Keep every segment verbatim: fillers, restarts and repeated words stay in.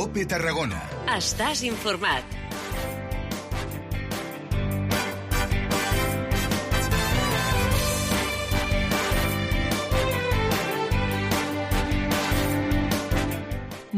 COPE Tarragona. Estàs informat.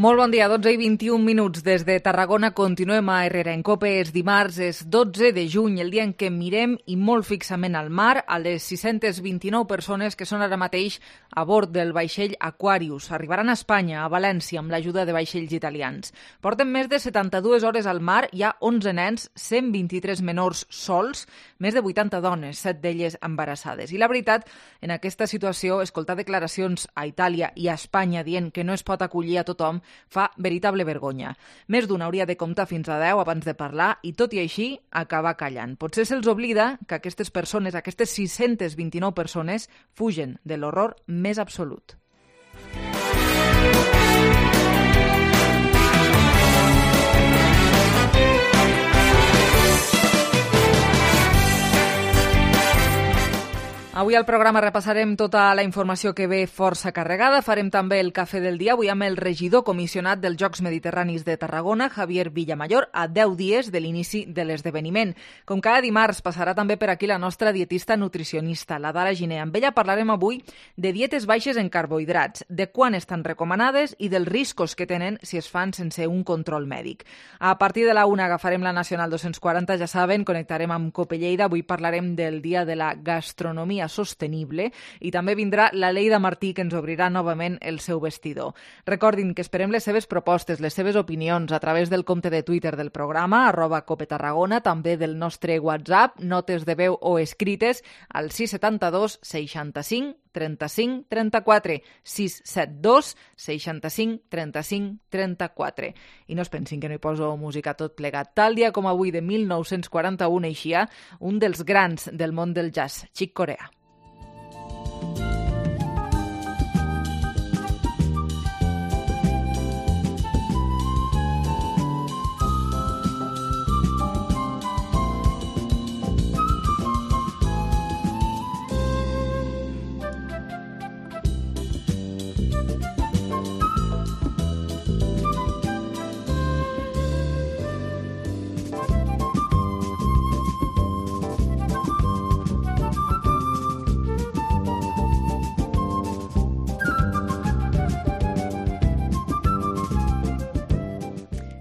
Molt bon dia, dotze i vint-i-un minuts des de Tarragona. Continuem a Herrera en COPE. És dimarts, és dotze de juny, el dia en què mirem i molt fixament al mar a les sis-centes vint-i-nou persones que són ara mateix a bord del vaixell Aquarius. Arribaran a Espanya, a València, amb l'ajuda de vaixells italians. Porten més de setanta-dues hores al mar, hi ha onze nens, cent vint-i-tres menors sols, més de vuitanta dones, set d'elles embarassades. I la veritat, en aquesta situació, escoltar declaracions a Itàlia i a Espanya dient que no es pot acollir a tothom fa veritable vergonya. Més d'un hauria de comptar fins a deu abans de parlar i, tot i així, acabar callant. Potser se'ls oblida que aquestes persones, aquestes sis-centes vint-i-nou persones, fugen de l'horror més absolut. Avui al programa repassarem tota la informació que ve força carregada. Farem també el cafè del dia, avui amb el regidor comissionat dels Jocs Mediterranis de Tarragona, Javier Villamayor, a deu dies de l'inici de l'esdeveniment. Com cada dimarts, passarà també per aquí la nostra dietista nutricionista, la Dara Giner. Amb ella parlarem avui de dietes baixes en carbohidrats, de quan estan recomanades i dels riscos que tenen si es fan sense un control mèdic. A partir de la una agafarem la Nacional dos-cents quaranta, ja saben, connectarem amb Cope Lleida. Avui parlarem del Dia de la Gastronomia Sostenible i també vindrà la Leida Martí, que ens obrirà novament el seu vestidor. Recordin que esperem les seves propostes, les seves opinions a través del compte de Twitter del programa, arroba Cope Tarragona, també del nostre WhatsApp, notes de veu o escrites al sis set dos seixanta-cinc trenta-cinc trenta-quatre, sis set dos seixanta-cinc trenta-cinc trenta-quatre. I no es pensin que no hi poso música tot plegat. Tal dia com avui de mil nou-cents quaranta-u eixia un dels grans del món del jazz, Chick Corea.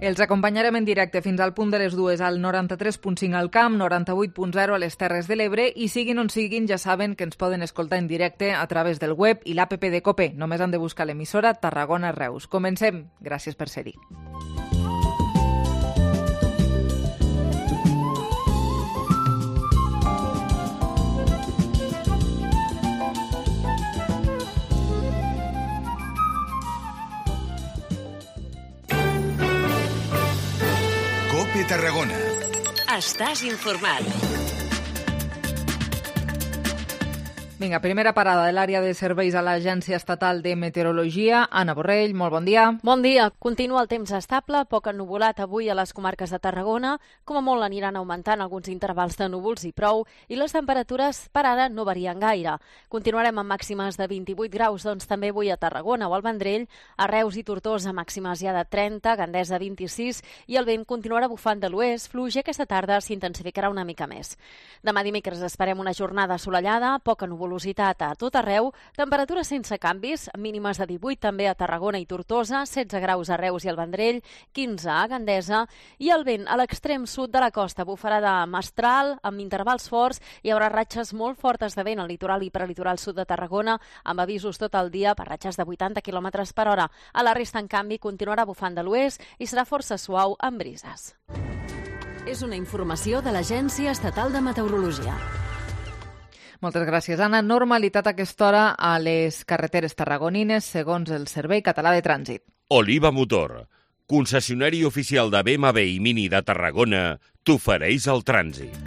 Els acompanyarem en directe fins al punt de les dues al noranta-tres punt cinc al Camp, noranta-vuit punt zero a les Terres de l'Ebre i siguin on siguin, ja saben que ens poden escoltar en directe a través del web i l'app de COPE. Només han de buscar l'emissora Tarragona Reus. Comencem. Gràcies per ser-hi. COPE Tarragona. Estàs informat. Vinga, primera parada de l'àrea de serveis a l'Agència Estatal de Meteorologia. Anna Borrell, molt bon dia. Bon dia. Continua el temps estable, poc ennuvolat avui a les comarques de Tarragona. Com a molt aniran augmentant alguns intervals de núvols i prou, i les temperatures per ara no varien gaire. Continuarem amb màximes de vint-i-vuit graus, doncs també avui a Tarragona o al Vendrell, a Reus i Tortosa màximes ja de trenta, Gandesa vint-i-sis, i el vent continuarà bufant de l'oest, fluix, i aquesta tarda s'intensificarà una mica més. Demà dimecres esperem una jornada assolellada, poca nuvolositat a tot arreu, temperatures sense canvis, mínimes de divuit també a Tarragona i Tortosa, setze graus a Reus i al Vendrell, quinze a Gandesa, i el vent a l'extrem sud de la costa bufarà de mestral, amb intervals forts. Hi haurà ratxes molt fortes de vent al litoral i prelitoral sud de Tarragona, amb avisos tot el dia per ratxes de vuitanta quilòmetres per hora. A la resta, en canvi, continuarà bufant de l'oest i serà força suau amb brises. És una informació de l'Agència Estatal de Meteorologia. Moltes gràcies, Anna. Normalitat a aquesta hora a les carreteres tarragonines, segons el Servei Català de Trànsit. Oliva Motor, concessionari oficial de B M W i Mini de Tarragona, t'ofereix el trànsit.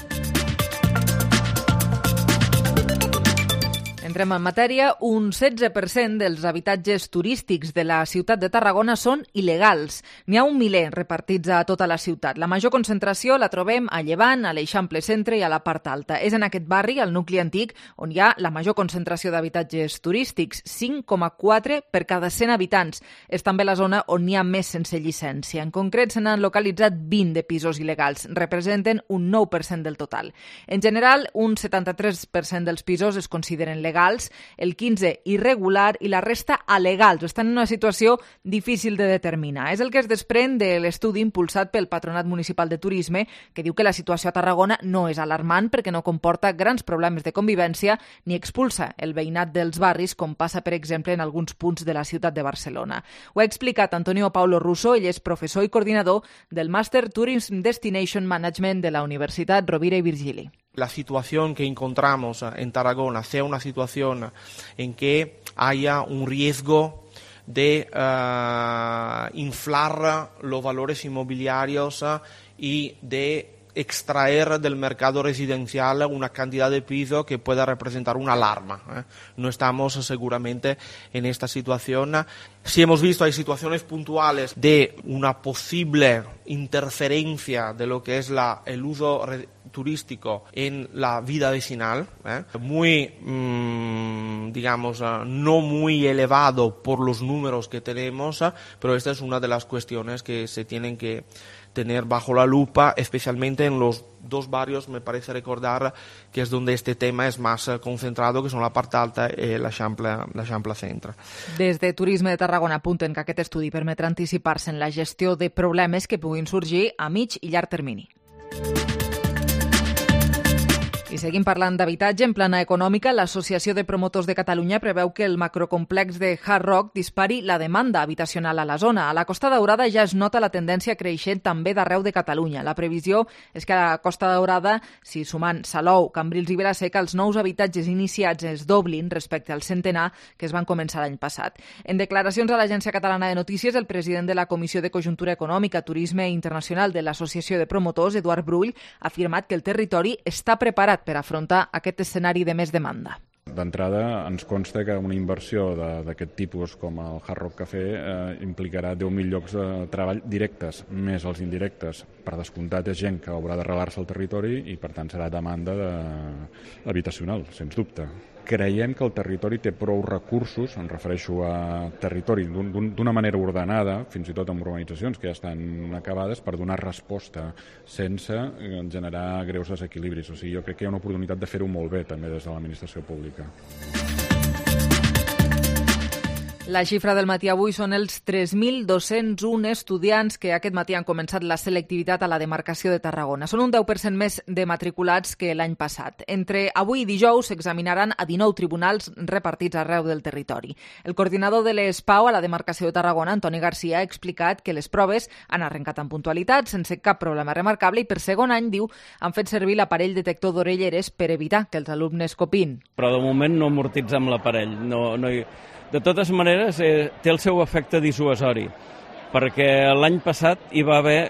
Entrem en matèria. Un setze per cent dels habitatges turístics de la ciutat de Tarragona són il·legals. N'hi ha un miler repartits a tota la ciutat. La major concentració la trobem a Llevant, a l'Eixample Centre i a la part alta. És en aquest barri, al nucli antic, on hi ha la major concentració d'habitatges turístics, cinc coma quatre per cada cent habitants. És també la zona on n'hi ha més sense llicència. En concret, se n'han localitzat vint de pisos il·legals. Representen un nou per cent del total. En general, un setanta-tres per cent dels pisos es consideren legals, el quinze irregular i la resta alegals. Estan en una situació difícil de determinar. És el que es desprèn de l'estudi impulsat pel Patronat Municipal de Turisme, que diu que la situació a Tarragona no és alarmant perquè no comporta grans problemes de convivència ni expulsa el veïnat dels barris, com passa, per exemple, en alguns punts de la ciutat de Barcelona. Ho ha explicat Antonio Paulo Russo, ell és professor i coordinador del Master Tourism Destination Management de la Universitat Rovira i Virgili. La situación que encontramos en Tarragona sea una situación en que haya un riesgo de uh, inflar los valores inmobiliarios uh, y de extraer del mercado residencial una cantidad de pisos que pueda representar una alarma. ¿eh? No estamos seguramente en esta situación. Si hemos visto, hay situaciones puntuales de una posible interferencia de lo que es la, el uso turístico en la vida vecinal, ¿eh? muy, mmm, digamos, uh, no muy elevado por los números que tenemos, uh, pero esta es una de las cuestiones que se tienen que tener bajo la lupa, especialmente en los dos barrios, me parece recordar, que es donde este tema es más concentrado, que son la part alta i l'Eixample Centre. Des de Turisme de Tarragona apunten que aquest estudi permetrà anticipar-se en la gestió de problemes que puguin sorgir a mig i llarg termini. I seguim parlant d'habitatge. En plana econòmica, l'Associació de Promotors de Catalunya preveu que el macrocomplex de Hard Rock dispari la demanda habitacional a la zona. A la Costa Daurada ja es nota la tendència creixent també d'arreu de Catalunya. La previsió és que a la Costa Daurada, si sumant Salou, Cambrils i Vila-seca, els nous habitatges iniciats es doblin respecte al centenar que es van començar l'any passat. En declaracions a l'Agència Catalana de Notícies, el president de la Comissió de Conjuntura Econòmica, Turisme Internacional de l'Associació de Promotors, Eduard Brull, ha afirmat que el territori està preparat per afrontar aquest escenari de més demanda. D'entrada, ens consta que una inversió d'aquest tipus com el Hard Rock Café eh, implicarà deu mil llocs de treball directes, més els indirectes. Per descomptat, és gent que haurà d'arrelar-se al territori i, per tant, serà demanda de... habitacional, sens dubte. Creiem que el territori té prou recursos, em refereixo a territori d'una manera ordenada, fins i tot amb urbanitzacions que ja estan acabades, per donar resposta sense generar greus desequilibris. O sigui, jo crec que hi ha una oportunitat de fer-ho molt bé també des de l'administració pública. La xifra del matí avui són els tres mil dos-cents un estudiants que aquest matí han començat la selectivitat a la demarcació de Tarragona. Són un deu per cent més de matriculats que l'any passat. Entre avui i dijous s'examinaran a dinou tribunals repartits arreu del territori. El coordinador de l'E S P A U a la demarcació de Tarragona, Antoni Garcia, ha explicat que les proves han arrencat amb puntualitat, sense cap problema remarcable, i per segon any, diu, han fet servir l'aparell detector d'orelleres per evitar que els alumnes copin. Però de moment no amortitzem l'aparell, no, no hi... De totes maneres, eh, té el seu efecte dissuasori, perquè l'any passat hi va haver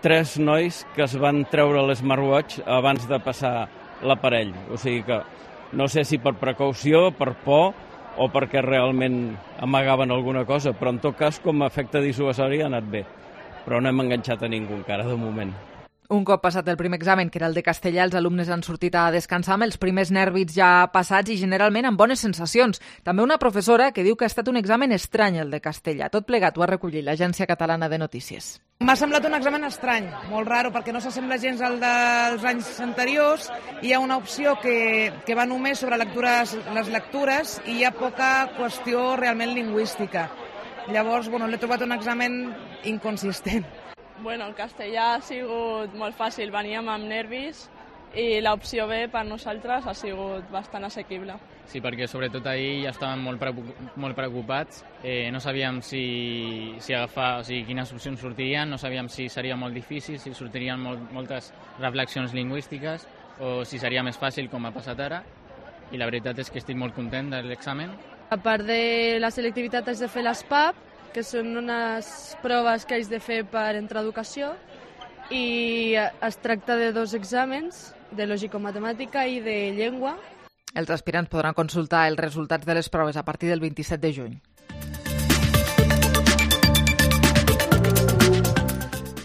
tres nois que es van treure l'smartwatch abans de passar l'aparell. O sigui que no sé si per precaució, per por o perquè realment amagaven alguna cosa, però en tot cas com a efecte dissuasori ha anat bé. Però no hem enganxat a ningú encara de moment. Un cop passat el primer examen, que era el de castellà, els alumnes han sortit a descansar amb els primers nervis ja passats i generalment amb bones sensacions. També una professora que diu que ha estat un examen estrany el de castellà. Tot plegat ho ha recollit l'Agència Catalana de Notícies. M'ha semblat un examen estrany, molt raro, perquè no s'assembla gens al dels anys anteriors. Hi ha una opció que, que va només sobre lectures, les lectures i hi ha poca qüestió realment lingüística. Llavors, bueno, l'he trobat un examen inconsistent. Bueno, el castellà ha sigut molt fàcil, veníem amb nervis i l'opció B per nosaltres ha sigut bastant assequible. Sí, perquè sobretot ahir ja estàvem molt, molt preocupats, eh, no sabíem si, si agafar, o sigui, quines opcions sortirien, no sabíem si seria molt difícil, si sortirien molt, moltes reflexions lingüístiques o si seria més fàcil com ha passat ara, i la veritat és que estic molt content de l'examen. A part de la selectivitat has de fer l'S P A P, que són unes proves que has de fer per entrar a educació, i es tracta de dos exàmens, de lògico-matemàtica i de llengua. Els aspirants podran consultar els resultats de les proves a partir del vint-i-set de juny.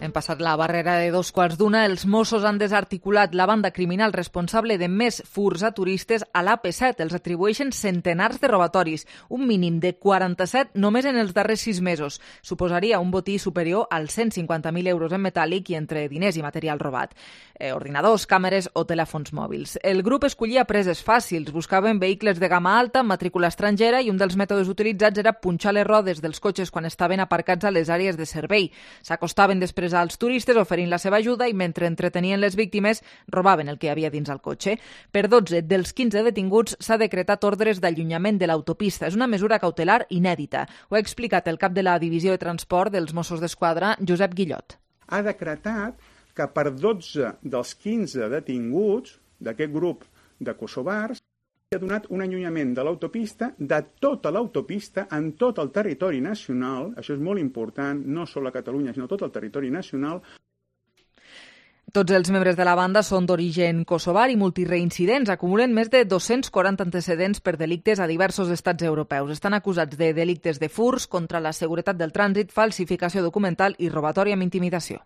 Hem passat la barrera de dos quarts d'una. Els Mossos han desarticulat la banda criminal responsable de més furs a turistes a l'A P set. Els atribueixen centenars de robatoris, un mínim de quaranta-set només en els darrers sis mesos. Suposaria un botí superior als cent cinquanta mil euros en metàl·lic i entre diners i material robat. Eh, ordinadors, càmeres o telèfons mòbils. El grup escollia preses fàcils, buscaven vehicles de gamma alta, matrícula estrangera, i un dels mètodes utilitzats era punxar les rodes dels cotxes quan estaven aparcats a les àrees de servei. S'acostaven després als turistes oferint la seva ajuda i mentre entretenien les víctimes robaven el que hi havia dins el cotxe. Per dotze dels quinze detinguts s'ha decretat ordres d'allunyament de l'autopista. És una mesura cautelar inèdita. Ho ha explicat el cap de la Divisió de Transport dels Mossos d'Esquadra, Josep Guillot. Ha decretat que per dotze dels quinze detinguts d'aquest grup de kosovars ha donat un allunyament de l'autopista, de tota l'autopista, en tot el territori nacional, això és molt important, no sols a Catalunya, sinó tot el territori nacional. Tots els membres de la banda són d'origen kosovar i multireincidents. Acumulen més de dos-cents quaranta antecedents per delictes a diversos estats europeus. Estan acusats de delictes de furs, contra la seguretat del trànsit, falsificació documental i robatori amb intimidació.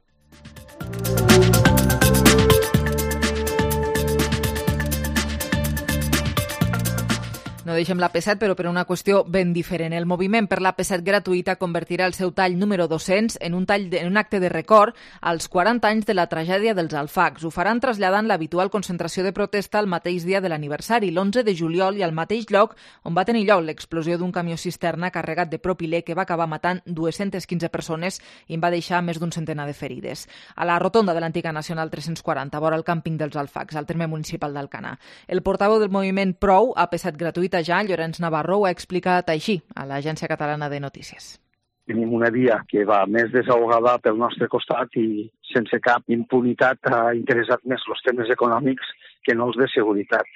No deixem l'A P set, però per una qüestió ben diferent. El moviment per l'A P set gratuïta convertirà el seu tall número dos-cents en un, tall de, en un acte de record als quaranta anys de la tragèdia dels Alfacs. Ho faran traslladant l'habitual concentració de protesta al mateix dia de l'aniversari, l'onze de juliol, i al mateix lloc on va tenir lloc l'explosió d'un camió cisterna carregat de propilè que va acabar matant dues-centes quinze persones i en va deixar més d'un centenar de ferides. A la rotonda de l'antiga Nacional tres-cents quaranta, vora el càmping dels Alfacs, al terme municipal d'Alcanar. El portaveu del moviment Prou, A P set gratuïta ja, Llorenç Navarro, ho ha explicat així a l'Agència Catalana de Notícies. Tenim una via que va més desahogada pel nostre costat i sense cap impunitat ha interessat més els temes econòmics que no els de seguretat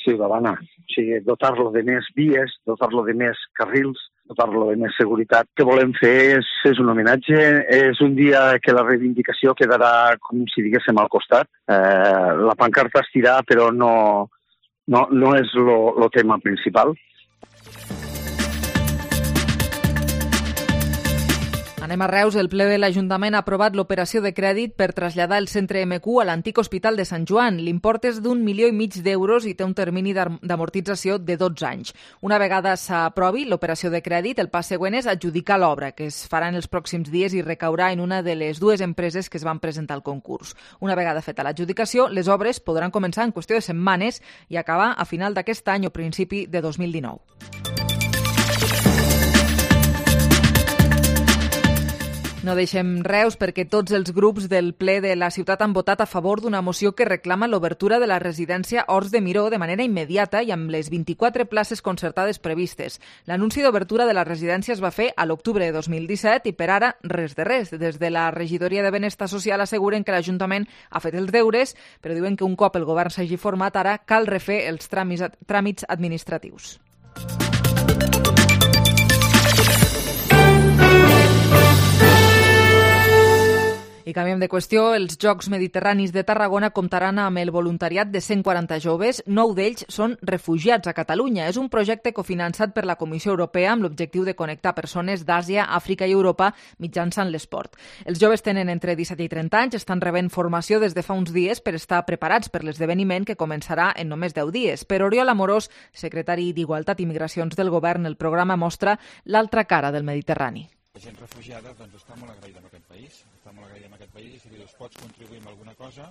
ciutadana. O sigui, dotar-lo de més vies, dotar-lo de més carrils, dotar-lo de més seguretat. El que volem fer és, és un homenatge, és un dia que la reivindicació quedarà, com si diguéssim, al costat. Eh, la pancarta es tirà, però no... No, no és el tema principal. Anem a Reus. El ple de l'Ajuntament ha aprovat l'operació de crèdit per traslladar el centre M Q a l'antic Hospital de Sant Joan. L'import és d'un milió i mig d'euros i té un termini d'amortització de dotze anys. Una vegada s'aprovi l'operació de crèdit, el pas següent és adjudicar l'obra, que es farà en els pròxims dies i recaurà en una de les dues empreses que es van presentar al concurs. Una vegada feta l'adjudicació, les obres podran començar en qüestió de setmanes i acabar a final d'aquest any o principi de dos mil dinou. No deixem Reus perquè tots els grups del ple de la ciutat han votat a favor d'una moció que reclama l'obertura de la residència Horts de Miró de manera immediata i amb les vint-i-quatre places concertades previstes. L'anunci d'obertura de la residència es va fer a l'octubre de dos mil disset i per ara res de res. Des de la Regidoria de Benestar Social asseguren que l'Ajuntament ha fet els deures, però diuen que un cop el govern s'hagi format ara cal refer els tràmits, tràmits administratius. I canviem de qüestió. Els Jocs Mediterranis de Tarragona comptaran amb el voluntariat de cent quaranta joves. Nou d'ells són refugiats a Catalunya. És un projecte cofinançat per la Comissió Europea amb l'objectiu de connectar persones d'Àsia, Àfrica i Europa mitjançant l'esport. Els joves tenen entre disset i trenta anys, estan rebent formació des de fa uns dies per estar preparats per l'esdeveniment que començarà en només deu dies. Per Oriol Amorós, secretari d'Igualtat i Migracions del Govern, el programa mostra l'altra cara del Mediterrani. La gent refugiada doncs, està molt agraïda amb aquest país, està molt agraïda amb aquest país i si dius pots contribuir amb alguna cosa,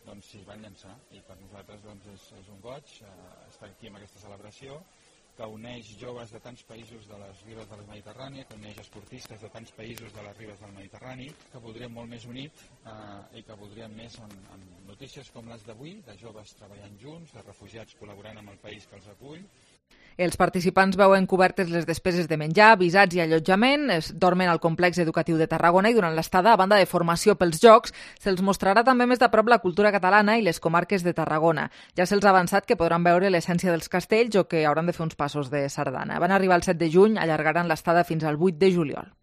doncs s'hi van llançar. I per nosaltres doncs, és, és un goig eh, estar aquí amb aquesta celebració que uneix joves de tants països de les ribes del Mediterrani, que uneix esportistes de tants països de les ribes del Mediterrani, que voldríem molt més unit eh, i que voldríem més en, en notícies com les d'avui, de joves treballant junts, de refugiats col·laborant amb el país que els acull. Els participants veuen cobertes les despeses de menjar, visats i allotjament, es dormen al complex educatiu de Tarragona i durant l'estada, a banda de formació pels Jocs, se'ls mostrarà també més de prop la cultura catalana i les comarques de Tarragona. Ja se'ls ha avançat que podran veure l'essència dels castells o que hauran de fer uns passos de sardana. Van arribar el set de juny, allargaran l'estada fins al vuit de juliol.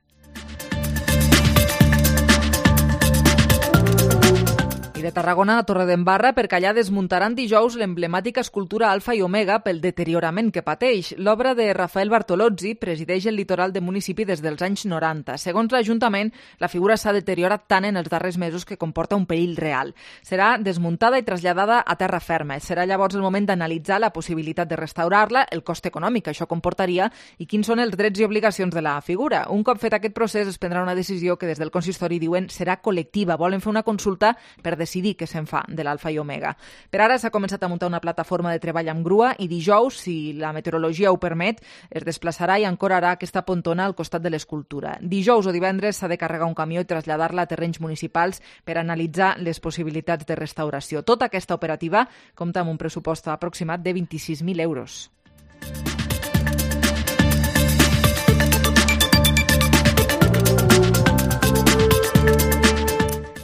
de Tarragona a Torredembarra, perquè allà desmuntaran dijous l'emblemàtica escultura Alfa i Omega pel deteriorament que pateix. L'obra de Rafael Bartolozzi presideix el litoral del municipi des dels anys noranta. Segons l'Ajuntament, la figura s'ha deteriorat tant en els darrers mesos que comporta un perill real. Serà desmuntada i traslladada a terra ferma. Serà llavors el moment d'analitzar la possibilitat de restaurar-la, el cost econòmic que això comportaria i quins són els drets i obligacions de la figura. Un cop fet aquest procés es prendrà una decisió que des del consistori diuen serà col·lectiva. Volen fer una consulta per decidir què se'n fa de l'Alfa i Omega. Per ara s'ha començat a muntar una plataforma de treball amb grua i dijous, si la meteorologia ho permet, es desplaçarà i ancorarà aquesta pontona al costat de l'escultura. Dijous o divendres s'ha de carregar un camió i traslladar-la a terrenys municipals per analitzar les possibilitats de restauració. Tota aquesta operativa compta amb un pressupost aproximat de vint-i-sis mil euros.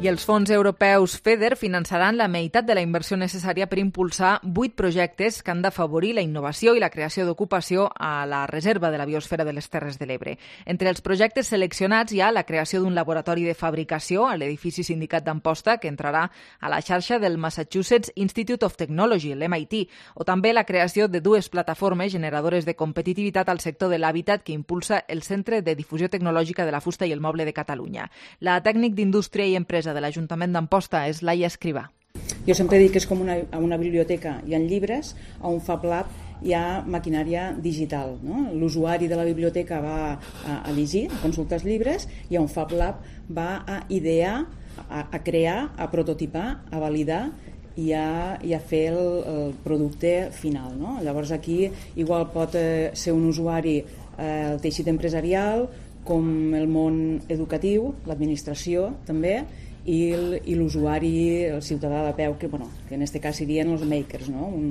I els fons europeus FEDER finançaran la meitat de la inversió necessària per impulsar vuit projectes que han d'afavorir la innovació i la creació d'ocupació a la reserva de la biosfera de les Terres de l'Ebre. Entre els projectes seleccionats hi ha la creació d'un laboratori de fabricació a l'edifici Sindicat d'Amposta, que entrarà a la xarxa del Massachusetts Institute of Technology, l'M I T, o també la creació de dues plataformes generadores de competitivitat al sector de l'hàbitat que impulsa el Centre de Difusió Tecnològica de la Fusta i el Moble de Catalunya. La tècnic d'Indústria i Empresa de l'Ajuntament d'Amposta és Laia Escrivà. Jo sempre dic que és com una, una biblioteca. Hi ha llibres, a un Fab Lab hi ha maquinària digital. No? L'usuari de la biblioteca va a, a llegir, a consultar els llibres, i a un Fab Lab va a idear, a, a crear, a prototipar, a validar i a, i a fer el, el producte final. No? Llavors aquí igual pot eh, ser un usuari eh, el teixit empresarial, com el món educatiu, l'administració també, i l'usuari, el ciutadà de peu, que, bueno, que en aquest cas serien els makers, no? Un...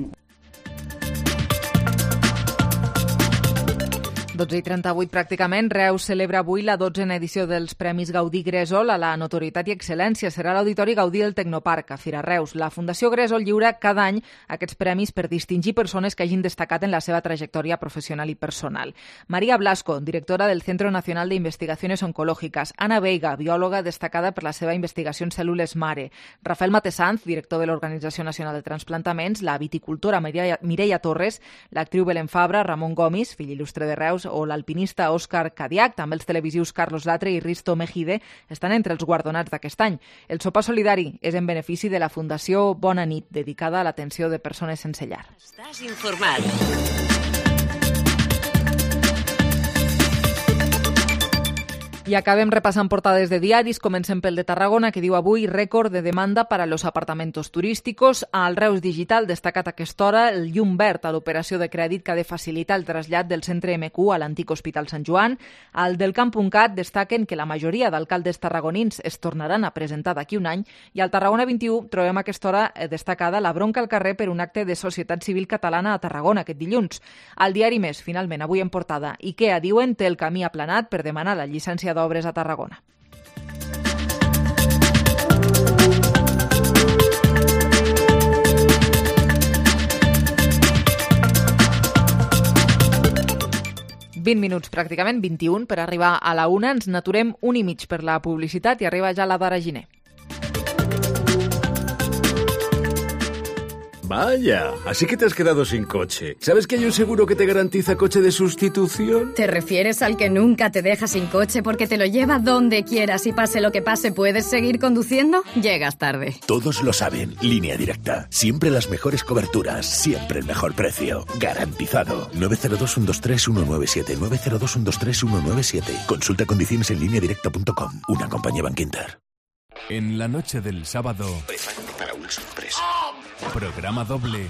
dotze i trenta-vuit pràcticament, Reus celebra avui la dotzena edició dels Premis Gaudí Gresol a la notorietat i excel·lència. Serà l'Auditori Gaudí del Tecnoparc, a Fira Reus. La Fundació Gresol lliura cada any aquests premis per distingir persones que hagin destacat en la seva trajectòria professional i personal. María Blasco, directora del Centro Nacional de Investigaciones Oncológicas. Ana Veiga, biòloga destacada per la seva investigació en cèl·lules mare. Rafael Matesanz, director de l'Organització Nacional de Transplantaments. La viticultora Mireia Torres, l'actriu Belén Fabra, Ramon Gomis, fill il·lustre de Reus, o l'alpinista Òscar Cadiac, també els televisius Carlos Latre i Risto Mejide estan entre els guardonats d'aquest any. El sopar solidari és en benefici de la Fundació Bona Nit, dedicada a l'atenció de persones sense llar. Estàs informat. I acabem repassant portades de diaris. Comencem pel de Tarragona, que diu avui rècord de demanda para los apartamentos turísticos. Al Reus Digital destacat a aquesta hora el llum verd a l'operació de crèdit que ha de facilitar el trasllat del centre M Q a l'antic Hospital Sant Joan. Al del Camp.cat destaquen que la majoria d'alcaldes tarragonins es tornaran a presentar d'aquí un any. I al Tarragona vint-i-u trobem a aquesta hora destacada la bronca al carrer per un acte de societat civil catalana a Tarragona aquest dilluns. Al diari Més, finalment, avui en portada, IKEA diuen té el camí aplanat per demanar la llicència d'obres a Tarragona. vint minuts pràcticament, vint-i-un per arribar a la una. Ens n'aturem un i mig per la publicitat i arriba ja la Dara Giner. Vaya, así que te has quedado sin coche. ¿Sabes que hay un seguro que te garantiza coche de sustitución? ¿Te refieres al que nunca te deja sin coche porque te lo lleva donde quieras y pase lo que pase puedes seguir conduciendo? Llegas tarde. Todos lo saben. Línea Directa. Siempre las mejores coberturas. Siempre el mejor precio. Garantizado. nueve cero dos, uno dos tres, uno nueve siete. nueve cero dos, uno dos tres, uno nueve siete. Consulta condiciones en línea directa punto com. Una compañía Bankinter. En la noche del sábado... Prepárate para una sorpresa. Programa doble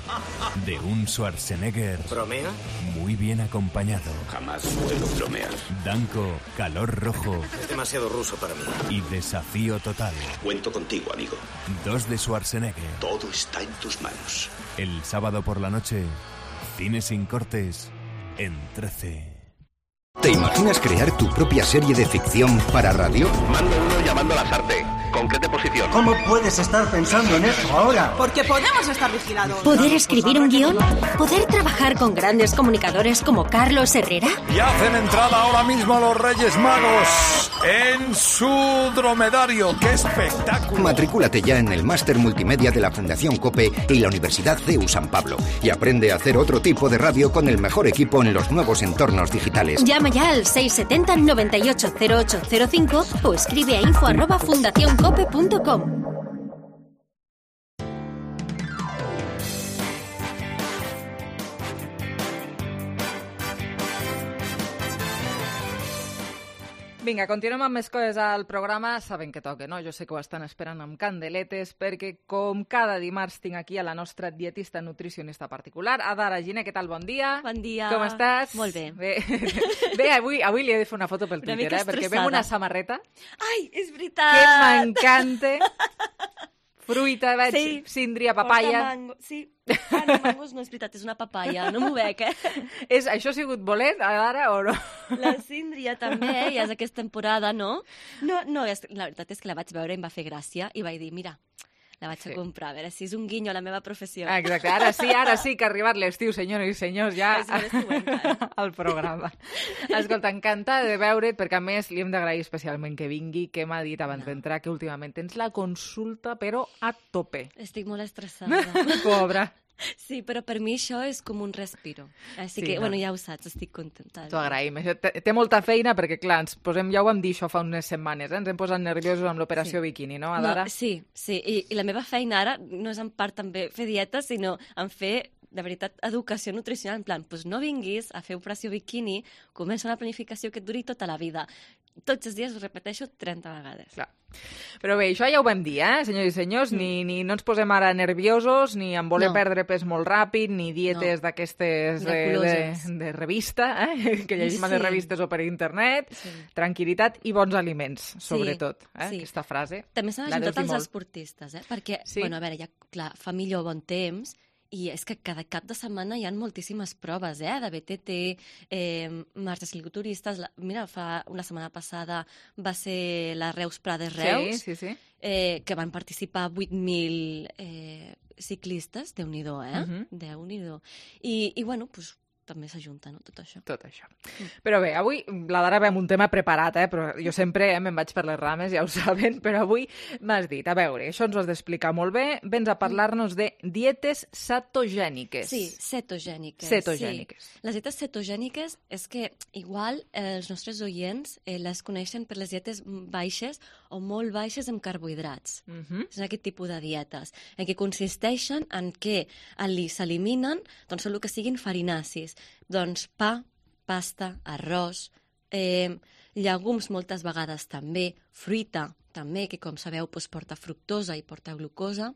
de un Schwarzenegger. ¿Bromea? Muy bien acompañado. Jamás suelo bromear. Danko, Calor Rojo. Es demasiado ruso para mí. Y Desafío Total. Cuento contigo, amigo. Dos de Schwarzenegger. Todo está en tus manos. El sábado por la noche, Cine sin cortes en trece. ¿Te imaginas crear tu propia serie de ficción para radio? Mando uno llamando a Lasarte. Concrete posición. ¿Cómo puedes estar pensando en eso ahora? Porque podemos estar vigilados. ¿Poder escribir un guión? ¿Poder trabajar con grandes comunicadores como Carlos Herrera? Y hacen entrada ahora mismo los Reyes Magos en su dromedario. ¡Qué espectáculo! Matricúlate ya en el Máster Multimedia de la Fundación COPE y la Universidad C E U San Pablo y aprende a hacer otro tipo de radio con el mejor equipo en los nuevos entornos digitales. Llama ya al seis setenta noventa y ocho cero ocho cero cinco o escribe a info arroba fundacioncope punto com. Vinga, continuem amb més coses al programa. Saben que toca, no? Jo sé que ho estan esperant amb candeletes perquè, com cada dimarts, tinc aquí a la nostra dietista nutricionista particular, Adara Giner. Què tal? Bon dia. Bon dia. Com estàs? Molt bé. Bé, bé avui, avui li he de fer una foto pel Una Twitter, mica eh? Perquè estressada. veig una samarreta Ai, és veritat! que m'encanta. Fruita, veig Sí. síndria, Porta papaya. mango. Sí. Ah, no, mangos no és veritat, és una papaya. No m'ho bec, eh? És, això ha sigut bolet, Adara, o no? La síndria també, eh? Ja és aquesta temporada, no? No, no, és, la veritat és que la vaig veure i em va fer gràcia i vaig dir, mira, la vaig Sí. a comprar, a veure si és un guinyo a la meva professió. Ah, exacte, ara sí, ara sí que ha arribat l'estiu, senyores i senyors, ja És l'estiu, encara. al programa. Escolta, encantada de veure't, perquè a més li hem d'agrair especialment que vingui, que m'ha dit abans d'entrar que últimament tens la consulta, però a tope. Estic molt estressada. Pobra. Sí, però per mi això és com un respiro. Així Sí, que, no. bueno, ja ho saps, estic contenta. T'ho agraïm. Això té, té molta feina perquè, clar, ens posem, ja ho vam dir això fa unes setmanes, eh? Ens hem posat nerviosos amb l'operació Sí. biquini, no, Adara? No, sí, sí. I, I la meva feina ara no és en part també fer dieta, sinó en fer, de veritat, educació nutricional. En plan, doncs no vinguis a fer operació biquini, comença una planificació que et duri tota la vida. Tots els dies ho repeteixo trenta vegades. Clar. Però bé, això ja ho vam dir, eh, senyors i senyors, mm. ni, ni no ens posem ara nerviosos, ni en voler No. perdre pes molt ràpid, ni dietes No. d'aquestes de, de, Miraculoses. de revista, eh, que llegim a les Sí. revistes o per internet, Sí. tranquil·litat i bons aliments, sobretot. Eh, sí. Aquesta frase. També s'han la deus ajuntat dir els molt. esportistes, eh? Perquè, Sí. bueno, a veure, ja, clar, fa millor bon temps, i és que cada cap de setmana hi ha moltíssimes proves, eh? De B T T, eh, marxes cicloturistes. La, mira, fa una setmana passada va ser la Reus Prades Reus, Sí, sí, sí. eh, que van participar vuit mil eh, ciclistes, Déu-n'hi-do, eh? Mhm. Déu-n'hi-do. I, I, bueno, doncs, també s'ajunta, no?, tot això. Tot això. Però bé, avui la Dara ve amb un tema preparat, eh? Però jo sempre eh, me'n vaig per les rames, ja ho saben, però avui m'has dit, a veure, això ens ho has d'explicar molt bé, vens a parlar-nos de dietes cetogèniques. Sí, cetogèniques. Cetogèniques. Sí. Les dietes cetogèniques és que igual eh, els nostres oients eh, les coneixen per les dietes baixes o molt baixes en carbohidrats. Mm -hmm. És aquest tipus de dietes, en què consisteixen en què ali s'eliminen doncs, tot el que siguin farinacis. Doncs pa, pasta, arròs, eh, llegums moltes vegades també, fruita també, que com sabeu doncs, porta fructosa i porta glucosa.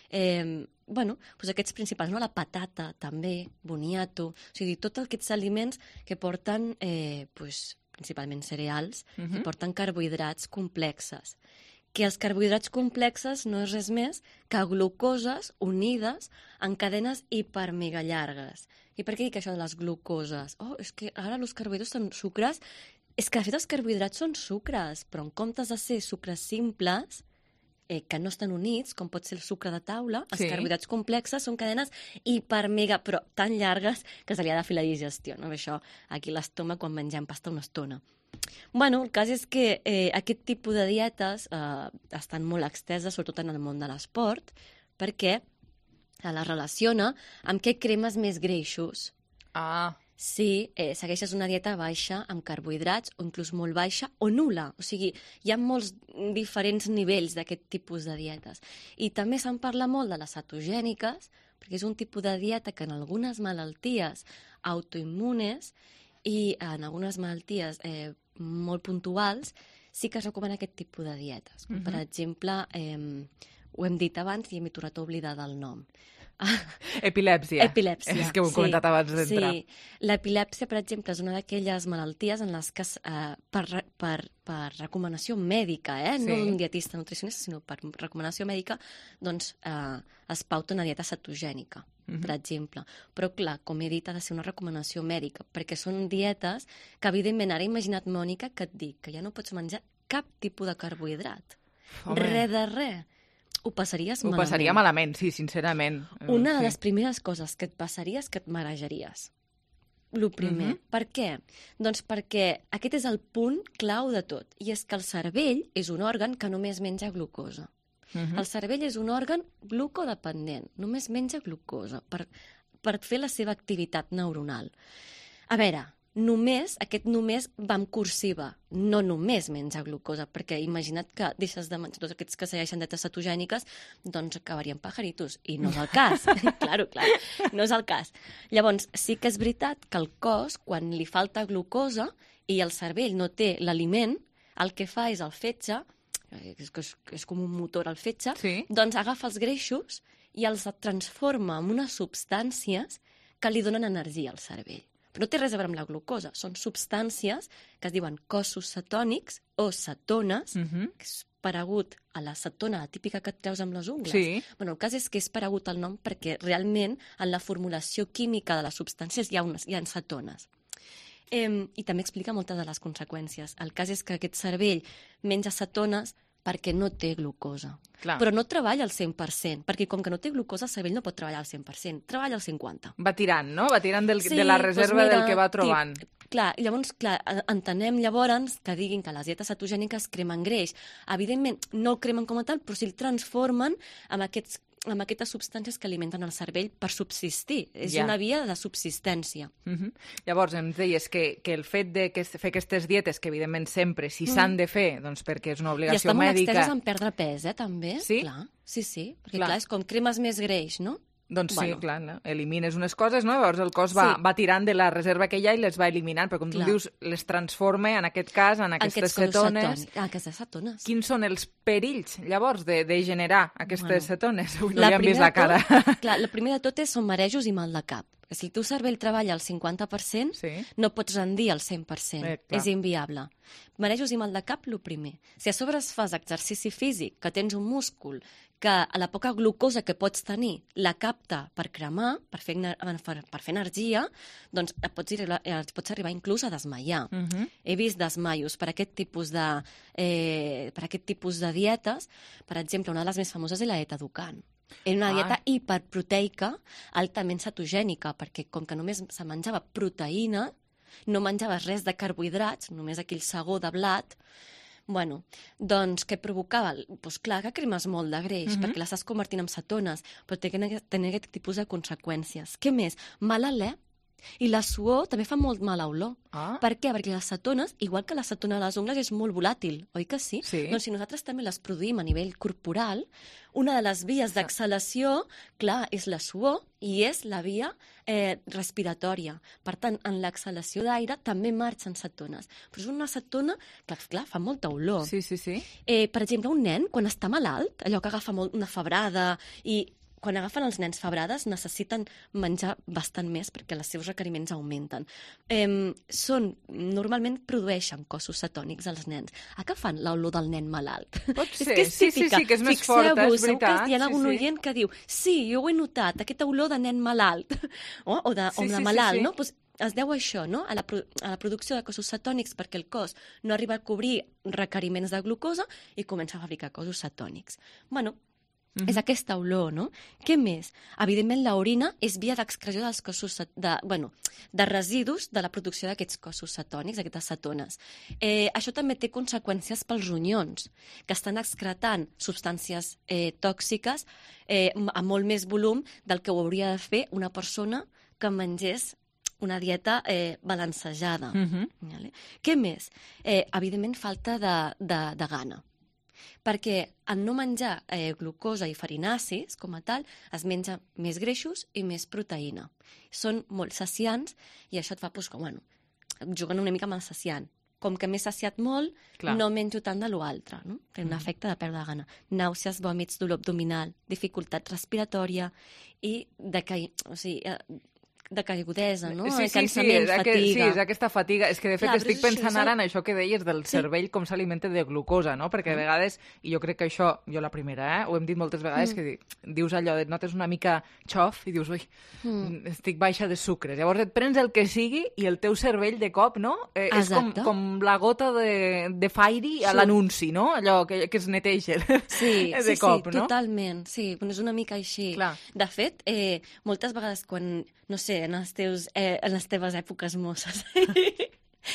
Eh, bueno, doncs aquests principals, no? La patata també, boniato, o sigui, tots aquests aliments que porten eh, doncs, principalment cereals, Mhm. que porten carbohidrats complexes. Que els carbohidrats complexes no és res més que glucoses unides en cadenes hipermega llargues. I per què dic això de les glucoses? Oh, és que ara els carbohidrats són sucres. És que, de fet, els carbohidrats són sucres, però en comptes de ser sucres simples, eh, que no estan units, com pot ser el sucre de taula, els Sí. carbohidrats complexes són cadenes hipermega, però tan llargues que se li ha de fer la digestió. No? Això aquí a l'estómac quan mengem pasta una estona. Bueno, el cas és que eh, aquest tipus de dietes eh, estan molt exteses, sobretot en el món de l'esport, perquè se les relaciona amb què cremes més greixos. Ah. Si eh, segueixes una dieta baixa amb carbohidrats, o inclús molt baixa, o nul·la. O sigui, hi ha molts diferents nivells d'aquest tipus de dietes. I també se'n parla molt de les cetogèniques, perquè és un tipus de dieta que en algunes malalties autoimmunes i en algunes malalties eh, molt puntuals sí que es recomana aquest tipus de dietes. Com, Mhm. per exemple, eh, ho hem dit abans i m'he tornat a oblidar del nom. Epilèpsia. Epilèpsia, És que ho he sí, comentat abans d'entrar. Sí. L'epilèpsia, per exemple, és una d'aquelles malalties en les que, eh, per, per, per recomanació mèdica, eh? Sí. No d'un dietista nutricionista, sinó per recomanació mèdica, doncs eh, es pauta una dieta cetogènica, Mhm. per exemple. Però, clar, com he dit, ha de ser una recomanació mèdica, perquè són dietes que, evidentment, ara he imaginat, Mònica, que et dic que ja no pots menjar cap tipus de carbohidrat. Home. Res de res. Ho passaries Ho malament. passaria malament, sí, sincerament. Una de Sí. les primeres coses que et passaria és que et marejaries. Lo primer. Mhm. Per què? Doncs perquè aquest és el punt clau de tot, i és que el cervell és un òrgan que només menja glucosa. Mhm. El cervell és un òrgan glucodependent, només menja glucosa per, per fer la seva activitat neuronal. A veure, només, aquest només va en cursiva, no només menja glucosa, perquè imagina't que deixes de menjar tots aquests que segueixen dietes cetogèniques, doncs acabarien pajaritos, i no és el cas. claro, clar, no és el cas. Llavors, sí que és veritat que el cos, quan li falta glucosa i el cervell no té l'aliment, el que fa és el fetge, és, és, és com un motor el fetge, sí. doncs agafa els greixos i els transforma en unes substàncies que li donen energia al cervell. Però no té res a veure amb la glucosa. Són substàncies que es diuen cossos cetònics o cetones, Mhm. que és paregut a la cetona la típica que et treus amb les ungles. Sí. Bueno, el cas és que és paregut al nom perquè realment en la formulació química de les substàncies hi ha, unes, hi ha cetones. Eh, I també explica moltes de les conseqüències. El cas és que aquest cervell menja cetones perquè no té glucosa. Clar. Però no treballa al cent per cent, perquè com que no té glucosa, el cervell no pot treballar al cent per cent, treballa al cinquanta per cent. Va tirant, no? Va tirant del, Sí, de la reserva doncs mira, del que va trobant. Tip, clar, llavors, clar, entenem llavors que diguin que les dietes cetogèniques cremen greix. Evidentment, no el cremen com a tal, però sí el transformen amb aquests amb aquestes substàncies que alimenten el cervell per subsistir. És Ja. una via de subsistència. Uh -huh. Llavors, ens deies que, que el fet de que fer aquestes dietes, que evidentment sempre, si Mm. s'han de fer, doncs perquè és una I obligació estan molt mèdica... exteses en perdre pes, eh, també. Sí? Clar, sí, sí, perquè Clar. clar, és com cremes més greix, no? Doncs Bueno. sí, clar, no? Elimines unes coses, no? Llavors el cos va, Sí. va tirant de la reserva que hi ha i les va eliminant, però com tu Clar. dius, les transforma, en aquest cas, en aquestes Aquests cossos cetones. cetònics. Ah, aquestes cetones. Quins són els perills, llavors, de, de generar aquestes Bueno. cetones? Avui no La li han vist primera la cara. de Tot, clar, la primera de tot és són marejos i mal de cap. Si el teu cervell treballa al cinquanta per cent, sí. no pots rendir al cent per cent. Eh, clar. És inviable. Marejos i mal de cap, el primer. Si a sobre es fas exercici físic, que tens un múscul que a la poca glucosa que pots tenir la capta per cremar, per fer, per, per fer energia, doncs et pots, arribar, et pots arribar inclús a desmaiar. Uh -huh. He vist desmaios per aquest tipus de, eh, per aquest tipus de dietes. Per exemple, una de les més famoses és la dieta Dukan. Era una Ah. dieta hiperproteica, altament cetogènica, perquè com que només se menjava proteïna, no menjaves res de carbohidrats, només aquell segó de blat. Bueno, doncs què provocava? Doncs clar que cremes molt de greix, Mhm. perquè l'estàs convertint en cetones, però té que tenir aquest tipus de conseqüències. Què més? Mal alè. I la suor també fa molt mala olor. Ah. Per què? Perquè les cetones, igual que la cetona de les ungles, és molt volàtil, oi que sí? Sí. Doncs si nosaltres també les produïm a nivell corporal, una de les vies d'exhalació, clar, és la suor i és la via eh, respiratòria. Per tant, en l'exhalació d'aire també marxen cetones. Però és una cetona que, clar, fa molta olor. Sí, sí, sí. Eh, per exemple, un nen, quan està malalt, allò que agafa molt una febrada i quan agafen els nens febrades necessiten menjar bastant més perquè els seus requeriments augmenten. Eh, són, normalment produeixen cossos cetònics als nens. A què fan l'olor del nen malalt? Pot És ser. que és Sí, sí, típica. sí, que és més Fixeu-vos, forta, és segur que veritat. hi ha Sí, algun sí. oient que diu sí, jo ho he notat, aquesta olor de nen malalt o, o de, Sí, o de sí, sí, malalt, sí. no? Pues es deu a això, no? A la, pro a la producció de cossos cetònics perquè el cos no arriba a cobrir requeriments de glucosa i comença a fabricar cossos cetònics. Bueno, Mhm. és aquesta olor, no? Què més? Evidentment, l'orina és via d'excreció dels cossos de, bueno, de residus de la producció d'aquests cossos cetònics, d'aquestes cetones. Eh, això també té conseqüències pels ronyons, que estan excretant substàncies eh, tòxiques eh, a molt més volum del que ho hauria de fer una persona que mengés una dieta eh, balancejada. Mhm. Vale? Què més? Eh, evidentment, falta de, de, de gana. Perquè en no menjar eh, glucosa i farinacis, com a tal, es menja més greixos i més proteïna. Són molt saciants i això et fa, doncs, que, bueno, juguen una mica amb el saciant. com que m'he saciat molt, Clar. no menjo tant de l'altre, no? Té un Mm. efecte de perdre gana. Nàusees, vòmits, dolor abdominal, dificultat respiratòria i decaï... o sigui, eh, de caigudesa, no? Sí, sí, sí, Cansament, és aqu... sí, fatiga. és aquesta fatiga. És que, de fet, Clar, estic però és pensant això, ara és en això que deies del Sí. cervell, com s'alimenta de glucosa, no? Perquè a Mm. vegades, i jo crec que això, jo la primera, eh? ho hem dit moltes vegades, Mm. que di- dius allò, et notes una mica xof i dius, ui, Mm. estic baixa de sucres. Llavors et prens el que sigui i el teu cervell de cop, no? Eh, és com, Exacte. com la gota de, de Fairy a Sí. l'anunci, no? Allò que, que es neteja Sí, de sí, cop, sí, no? totalment. Sí, però és una mica així. Clar. De fet, eh, moltes vegades quan, no sé, en, els teus, eh, en les teves èpoques mosses,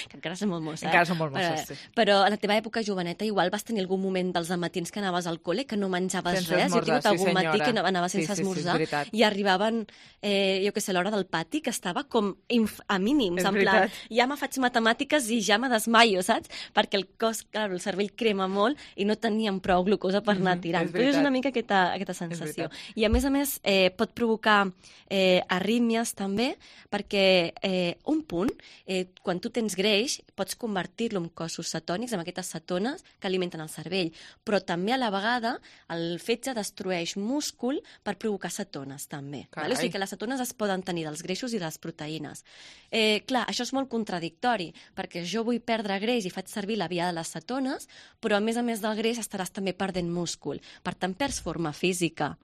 que encara som molt mosses, Encara som molt mosses, però, sí. però a la teva època joveneta igual vas tenir algun moment dels matins que anaves al col·le que no menjaves Sense res. Jo he esmorzar, tingut sí, algun senyora. matí que no anava Sí, sense sí, sí, és esmorzar veritat. i arribaven, eh, jo què sé, l'hora del pati, que estava com inf a mínims, És en plan, veritat. ja me faig matemàtiques i ja me desmaio, saps? Perquè el cos, clar, el cervell crema molt i no teníem prou glucosa per anar Mhm, tirant. és Però és veritat. una mica aquesta, aquesta sensació. veritat. I a més a més eh, pot provocar eh, arrítmies també, perquè eh, un punt, eh, quan tu tens greix, pots convertir-lo en cossos cetònics, en aquestes cetones que alimenten el cervell, però també a la vegada el fetge destrueix múscul per provocar cetones també. Carai. Vale? O sigui que les cetones es poden tenir dels greixos i de les proteïnes. Eh, clar, això és molt contradictori, perquè jo vull perdre greix i faig servir la via de les cetones, però a més a més del greix estaràs també perdent múscul. Per tant, perds forma física.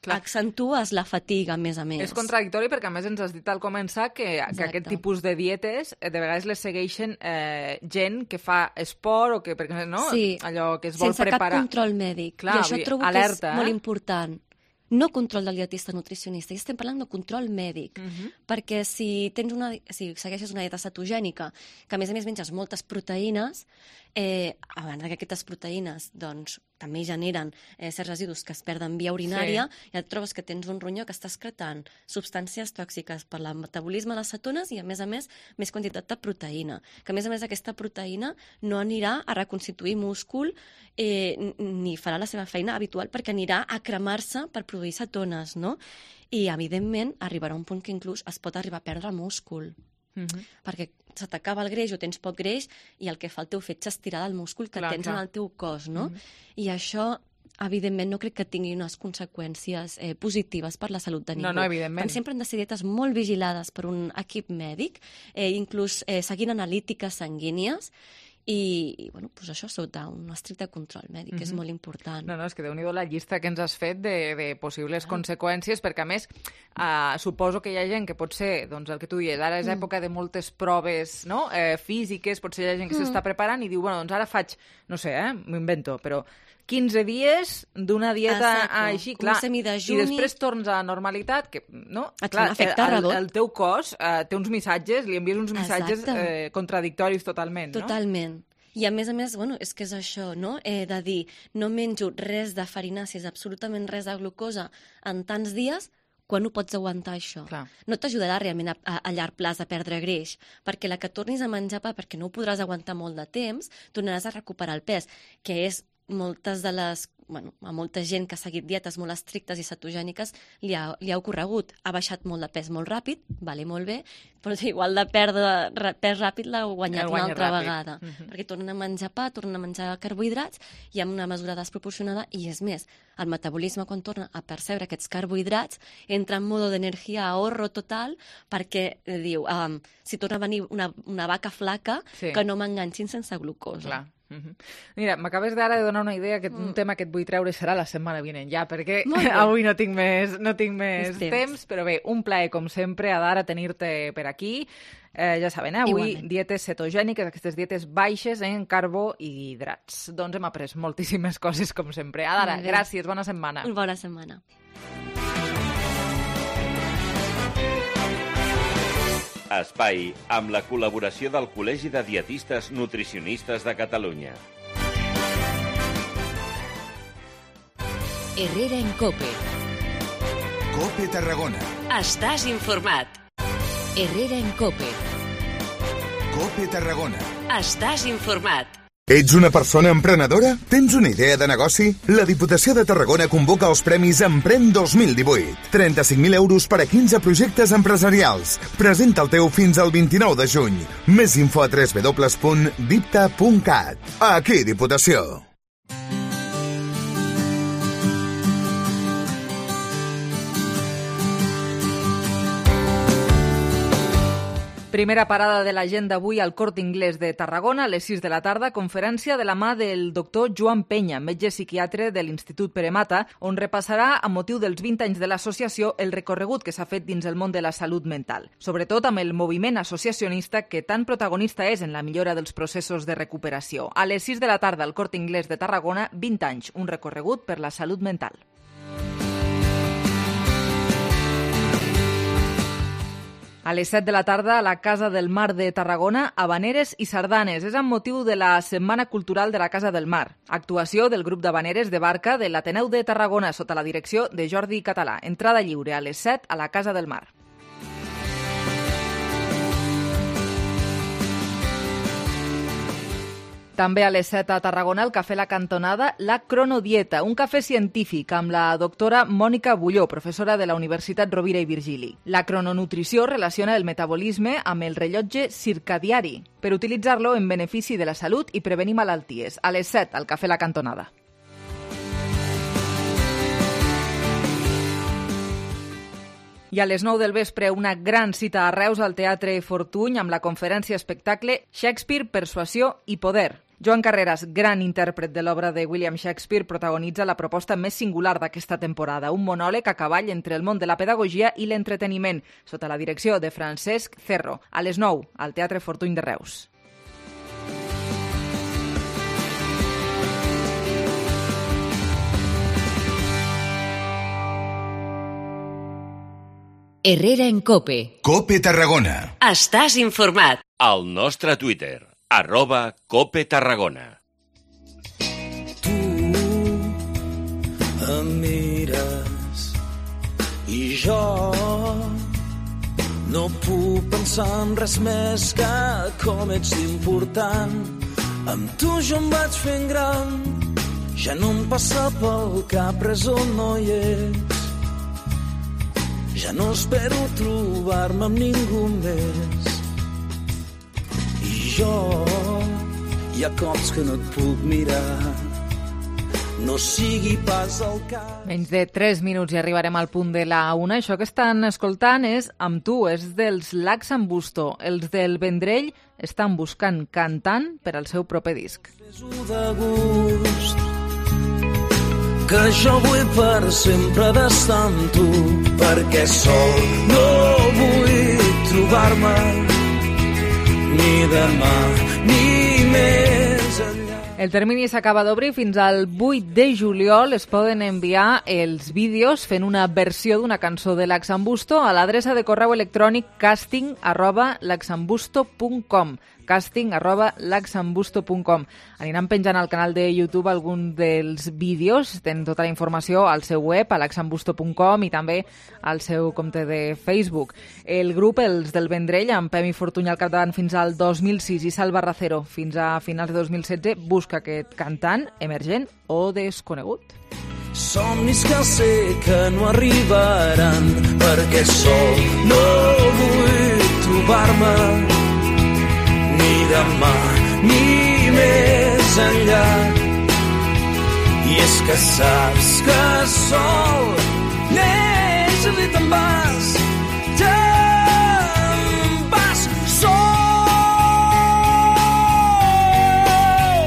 Clar. Accentues la fatiga, a més a més. És contradictori perquè, a més, ens has dit al començar que, que Exacte. aquest tipus de dietes eh, de vegades les segueixen eh, gent que fa esport o que, perquè, no? Sí, Allò que es vol sense preparar. cap control mèdic. Clar, I això vull dir, trobo alerta, que és molt eh? important. No control del dietista nutricionista, i estem parlant de control mèdic, Uh -huh. perquè si tens una, si segueixes una dieta cetogènica, que a més a més menges moltes proteïnes, eh, a banda que aquestes proteïnes doncs, també generen eh, certs residus que es perden via urinària, sí. I et trobes que tens un ronyó que està excretant substàncies tòxiques per el metabolisme de les cetones i, a més a més, més quantitat de proteïna. Que, a més a més, aquesta proteïna no anirà a reconstituir múscul eh, ni farà la seva feina habitual perquè anirà a cremar-se per produir cetones, no? I, evidentment, arribarà un punt que inclús es pot arribar a perdre múscul. Uh -huh. Perquè se t'acaba el greix o tens poc greix i el que fa el teu fetge és tirar del múscul que Clar, tens clar. en el teu cos, no? Mhm. I això, evidentment, no crec que tingui unes conseqüències eh, positives per la salut de ningú. No, no, evidentment. Per sempre han de ser dietes molt vigilades per un equip mèdic, eh, inclús eh, seguint analítiques sanguínies, i, i bueno, pues això sota un estricte control mèdic, que és Mhm. molt important. No, no, és que déu-n'hi-do la llista que ens has fet de, de possibles ah. conseqüències, perquè, a més, uh, suposo que hi ha gent que pot ser, doncs, el que tu dius, ara és Mm. època de moltes proves, no?, eh, físiques, potser hi ha gent que Mm. s'està preparant i diu, bueno, doncs ara faig, no sé, eh, m'ho invento, però quinze dies d'una dieta Exacto, així, com un clar, semidejuni. i després tornes a la normalitat, que, no? Et fa Clar, un efecte el, rebot. el teu cos eh, té uns missatges, li envies uns missatges Exacte. eh, contradictoris totalment, no? Totalment. I a més a més, bueno, és que és això, no? Eh, de dir, no menjo res de farinàcies, absolutament res de glucosa en tants dies, quan ho pots aguantar, això? Clar. No t'ajudarà realment a, a, a llarg plaç a perdre greix, perquè la que tornis a menjar pa, perquè no ho podràs aguantar molt de temps, tornaràs a recuperar el pes, que és moltes de les... Bueno, a molta gent que ha seguit dietes molt estrictes i cetogèniques li ha, li ha ocorregut. Ha baixat molt de pes molt ràpid, vale, molt bé, però igual de perdre ra- pes ràpid l'ha guanyat El una guanya altra ràpid. vegada. Mhm. Perquè tornen a menjar pa, tornen a menjar carbohidrats i amb una mesura desproporcionada, i és més, el metabolisme quan torna a percebre aquests carbohidrats entra en modo d'energia ahorro total perquè eh, diu, um, si torna a venir una, una vaca flaca, Sí. que no m'enganxin sense glucosa. Clar. Uh-huh. Mira, m'acabes d'ara de donar una idea que un tema que et vull treure serà la setmana vinent ja, perquè Molt bé. avui no tinc més, no tinc més Més temps. temps. temps, però bé, un plaer com sempre, Adara, tenir-te per aquí. Eh, ja saben, eh? Avui Igualment. dietes cetogèniques, aquestes dietes baixes en carbo i hidrats. Doncs hem après moltíssimes coses, com sempre. Adara, Molt bé. gràcies, bona setmana. Bona setmana. Espai amb la col·laboració del Col·legi de Dietistes Nutricionistes de Catalunya. Herrera en Cope. Cope Tarragona. Estàs informat. Herrera en Cope. Cope Tarragona. Estàs informat. Ets una persona emprenedora? Tens una idea de negoci? La Diputació de Tarragona convoca els Premis Emprèn dos mil divuit. trenta-cinc mil euros per a quinze projectes empresarials. Presenta el teu fins al vint-i-nou de juny. Més info a w w w punt dipta punt cat. Aquí, Diputació. Primera parada de l'agenda avui al Corte Inglés de Tarragona, a les sis de la tarda, conferència de la mà del doctor Joan Penya, metge psiquiatre de l'Institut Pere Mata, on repassarà, a motiu dels vint anys de l'associació, el recorregut que s'ha fet dins el món de la salut mental, sobretot amb el moviment associacionista que tan protagonista és en la millora dels processos de recuperació. A les sis de la tarda al Corte Inglés de Tarragona, vint anys, un recorregut per la salut mental. A les set de la tarda, a la Casa del Mar de Tarragona, habaneres i sardanes. És amb motiu de la Setmana Cultural de la Casa del Mar. Actuació del grup d'habaneres de barca de l'Ateneu de Tarragona sota la direcció de Jordi Català. Entrada lliure a les set a la Casa del Mar. També a les set a Tarragona, al Cafè La Cantonada, la Cronodieta, un cafè científic amb la doctora Mònica Bulló, professora de la Universitat Rovira i Virgili. La crononutrició relaciona el metabolisme amb el rellotge circadiari per utilitzar-lo en benefici de la salut i prevenir malalties. A les set, al Cafè La Cantonada. I a les nou del vespre, una gran cita a Reus al Teatre Fortuny amb la conferència espectacle Shakespeare, Persuasió i Poder. Joan Carreras, gran intèrpret de l'obra de William Shakespeare, protagonitza la proposta més singular d'aquesta temporada, un monòleg a cavall entre el món de la pedagogia i l'entreteniment, sota la direcció de Francesc Cerro. A les nou, al Teatre Fortuny de Reus. Herrera en Cope. Cope Tarragona. Estàs informat. Al nostre Twitter, arroba Cope Tarragona. Tu em mires i jo no puc pensar en res més que com ets important. Amb tu jo em vaig fent gran, ja no em passa pel cap res on no hi ets. Ja no espero trobar-me amb ningú més. I jo, hi ha cops que no et puc mirar, no sigui pas el cas. Menys de tres minuts i arribarem al punt de la una. Això que estan escoltant és Amb tu, és dels Lax'n'Busto. Els del Vendrell estan buscant cantant per al seu proper disc. Fes-ho de gust, que jo vull per sempre d'estar amb tu, perquè sol no vull trobar-me ni demà ni més enllà. El termini s'acaba d'obrir fins al vuit de juliol. Es poden enviar els vídeos fent una versió d'una cançó de Lax'n'Busto a l'adreça de correu electrònic casting arroba lax'n'busto punt com casting arroba lax'n'busto punt com. Aniran penjant al canal de YouTube algun dels vídeos. Tenen tota la informació al seu web, a lax'n'busto punt com, i també al seu compte de Facebook. El grup, els del Vendrell, amb Pemi Fortuny al capdavant fins al dos mil sis i Salva Racero fins a finals de dos mil setze, busca aquest cantant emergent o desconegut. Somnis que sé que no arribaran, perquè sol no vull trobar-me ni demà ni més enllà. I és que saps que sol neix i te'n vas, te'n vas sol.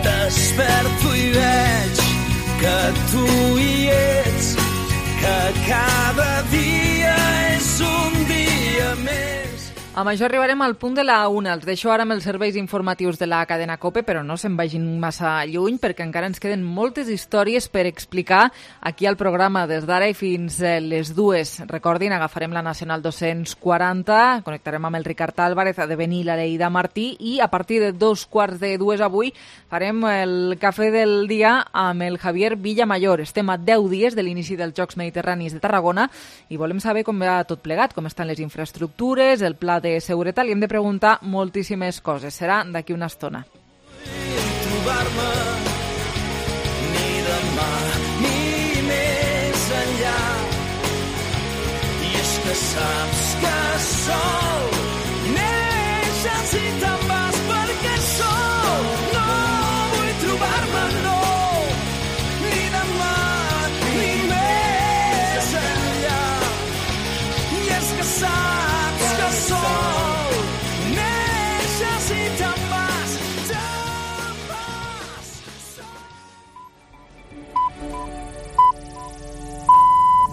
Desperto i veig que tu hi ets, que cada dia és un dia més. Amb això arribarem al punt de la una. Els deixo ara amb els serveis informatius de la cadena COPE, però no se'n vagin massa lluny perquè encara ens queden moltes històries per explicar aquí al programa des d'ara i fins les dues. Recordin, agafarem la Nacional dos-cents quaranta, connectarem amb el Ricard Álvarez, ha de venir la Leida Martí i a partir de dos quarts de dues avui farem el cafè del dia amb el Javier Villamayor. Estem a deu dies de l'inici dels Jocs Mediterranis de Tarragona i volem saber com va tot plegat, com estan les infraestructures, el pla de seguretat, li hem de preguntar moltíssimes coses. Serà d'aquí una estona. trobar-me ni demà ni més enllà. I és que saps que sol neixes i te'n vas perquè sol. No vull trobar-me, no, ni demà ni més enllà. I és que saps que sol neixes i te'n vas, te'n vas.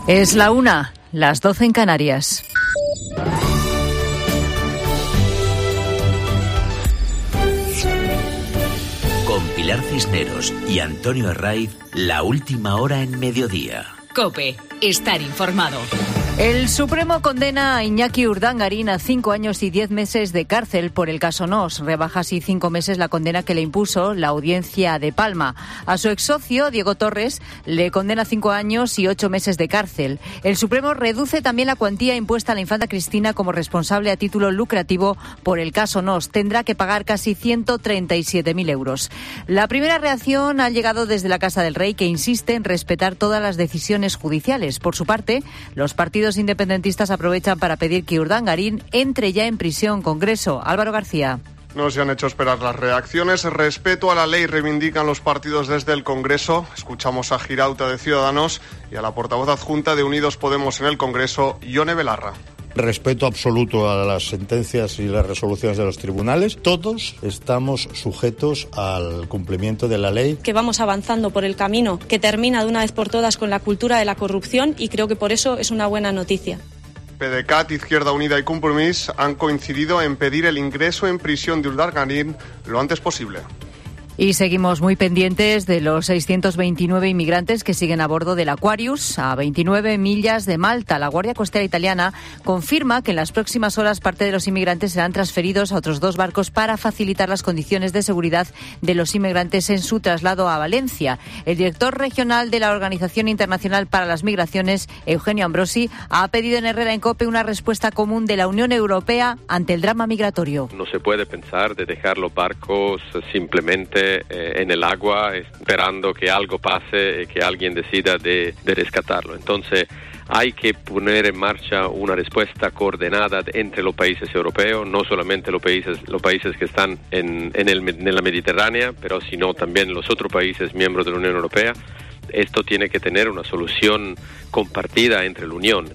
Es la una, las doce en Canarias. Con Pilar Cisneros y Antonio Herraiz, la última hora en mediodía. COPE, estar informado. El Supremo condena a Iñaki Urdangarín a cinco años y diez meses de cárcel por el caso Nos. Rebaja así cinco meses la condena que le impuso la Audiencia de Palma. A su exsocio, Diego Torres, le condena cinco años y ocho meses de cárcel. El Supremo reduce también la cuantía impuesta a la infanta Cristina como responsable a título lucrativo por el caso Nos. Tendrá que pagar casi ciento treinta y siete mil euros. La primera reacción ha llegado desde la Casa del Rey, que insiste en respetar todas las decisiones judiciales. Por su parte, los partidos independentistas aprovechan para pedir que Urdangarín entre ya en prisión. Congreso, Álvaro García. No se han hecho esperar las reacciones. Respeto a la ley reivindican los partidos desde el Congreso. Escuchamos a Girauta de Ciudadanos y a la portavoz adjunta de Unidos Podemos en el Congreso, Ione Belarra. Respeto absoluto a las sentencias y las resoluciones de los tribunales. Todos estamos sujetos al cumplimiento de la ley. Que vamos avanzando por el camino que termina de una vez por todas con la cultura de la corrupción, y creo que por eso es una buena noticia. PDeCAT, Izquierda Unida y Compromís han coincidido en pedir el ingreso en prisión de Urdangarín lo antes posible. Y seguimos muy pendientes de los seiscientos veintinueve inmigrantes que siguen a bordo del Aquarius a veintinueve millas de Malta. La Guardia Costera italiana confirma que en las próximas horas parte de los inmigrantes serán transferidos a otros dos barcos para facilitar las condiciones de seguridad de los inmigrantes en su traslado a Valencia. El director regional de la Organización Internacional para las Migraciones, Eugenio Ambrosi, ha pedido en Herrera en COPE una respuesta común de la Unión Europea ante el drama migratorio. No se puede pensar de dejar los barcos simplemente en el agua esperando que algo pase y que alguien decida de, de rescatarlo. Entonces hay que poner en marcha una respuesta coordinada entre los países europeos, no solamente los países, los países que están en, en, el, en la Mediterránea, pero sino también los otros países miembros de la Unión Europea. Esto tiene que tener una solución compartida entre la Unión.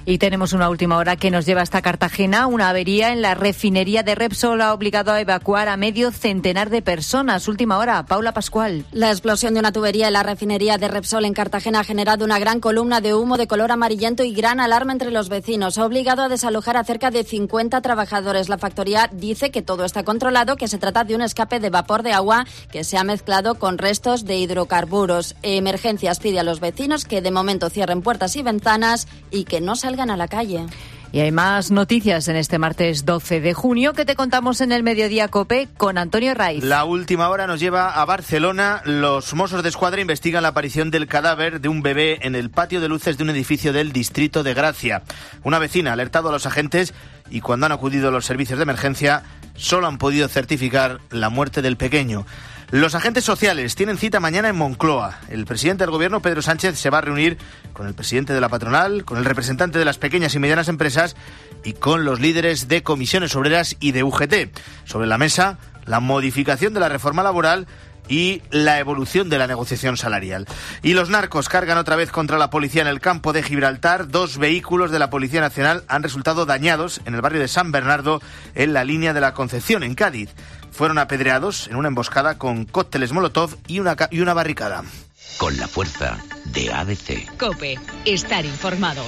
Y tenemos una última hora que nos lleva hasta Cartagena. Una avería en la refinería de Repsol ha obligado a evacuar a medio centenar de personas. Última hora, Paula Pascual. La explosión de una tubería en la refinería de Repsol en Cartagena ha generado una gran columna de humo de color amarillento y gran alarma entre los vecinos. Ha obligado a desalojar a cerca de cincuenta trabajadores. La factoría dice que todo está controlado, que se trata de un escape de vapor de agua que se ha mezclado con restos de hidrocarburos. Emergencias pide a los vecinos que de momento cierren puertas y ventanas y que no salgan a la calle. Y hay más noticias en este martes doce de junio que te contamos en el Mediodía COPE con Antonio Herraiz. La última hora nos lleva a Barcelona. Los Mossos de Escuadra investigan la aparición del cadáver de un bebé en el patio de luces de un edificio del distrito de Gracia. Una vecina ha alertado a los agentes y cuando han acudido los servicios de emergencia solo han podido certificar la muerte del pequeño. Los agentes sociales tienen cita mañana en Moncloa. El presidente del gobierno, Pedro Sánchez, se va a reunir con el presidente de la patronal, con el representante de las pequeñas y medianas empresas y con los líderes de comisiones obreras y de U G T. Sobre la mesa, la modificación de la reforma laboral y la evolución de la negociación salarial. Y los narcos cargan otra vez contra la policía en el campo de Gibraltar. Dos vehículos de la Policía Nacional han resultado dañados en el barrio de San Bernardo, en la línea de la Concepción, en Cádiz. Fueron apedreados en una emboscada con cócteles Molotov y una, y una barricada. Con la fuerza de A B C. COPE, estar informado.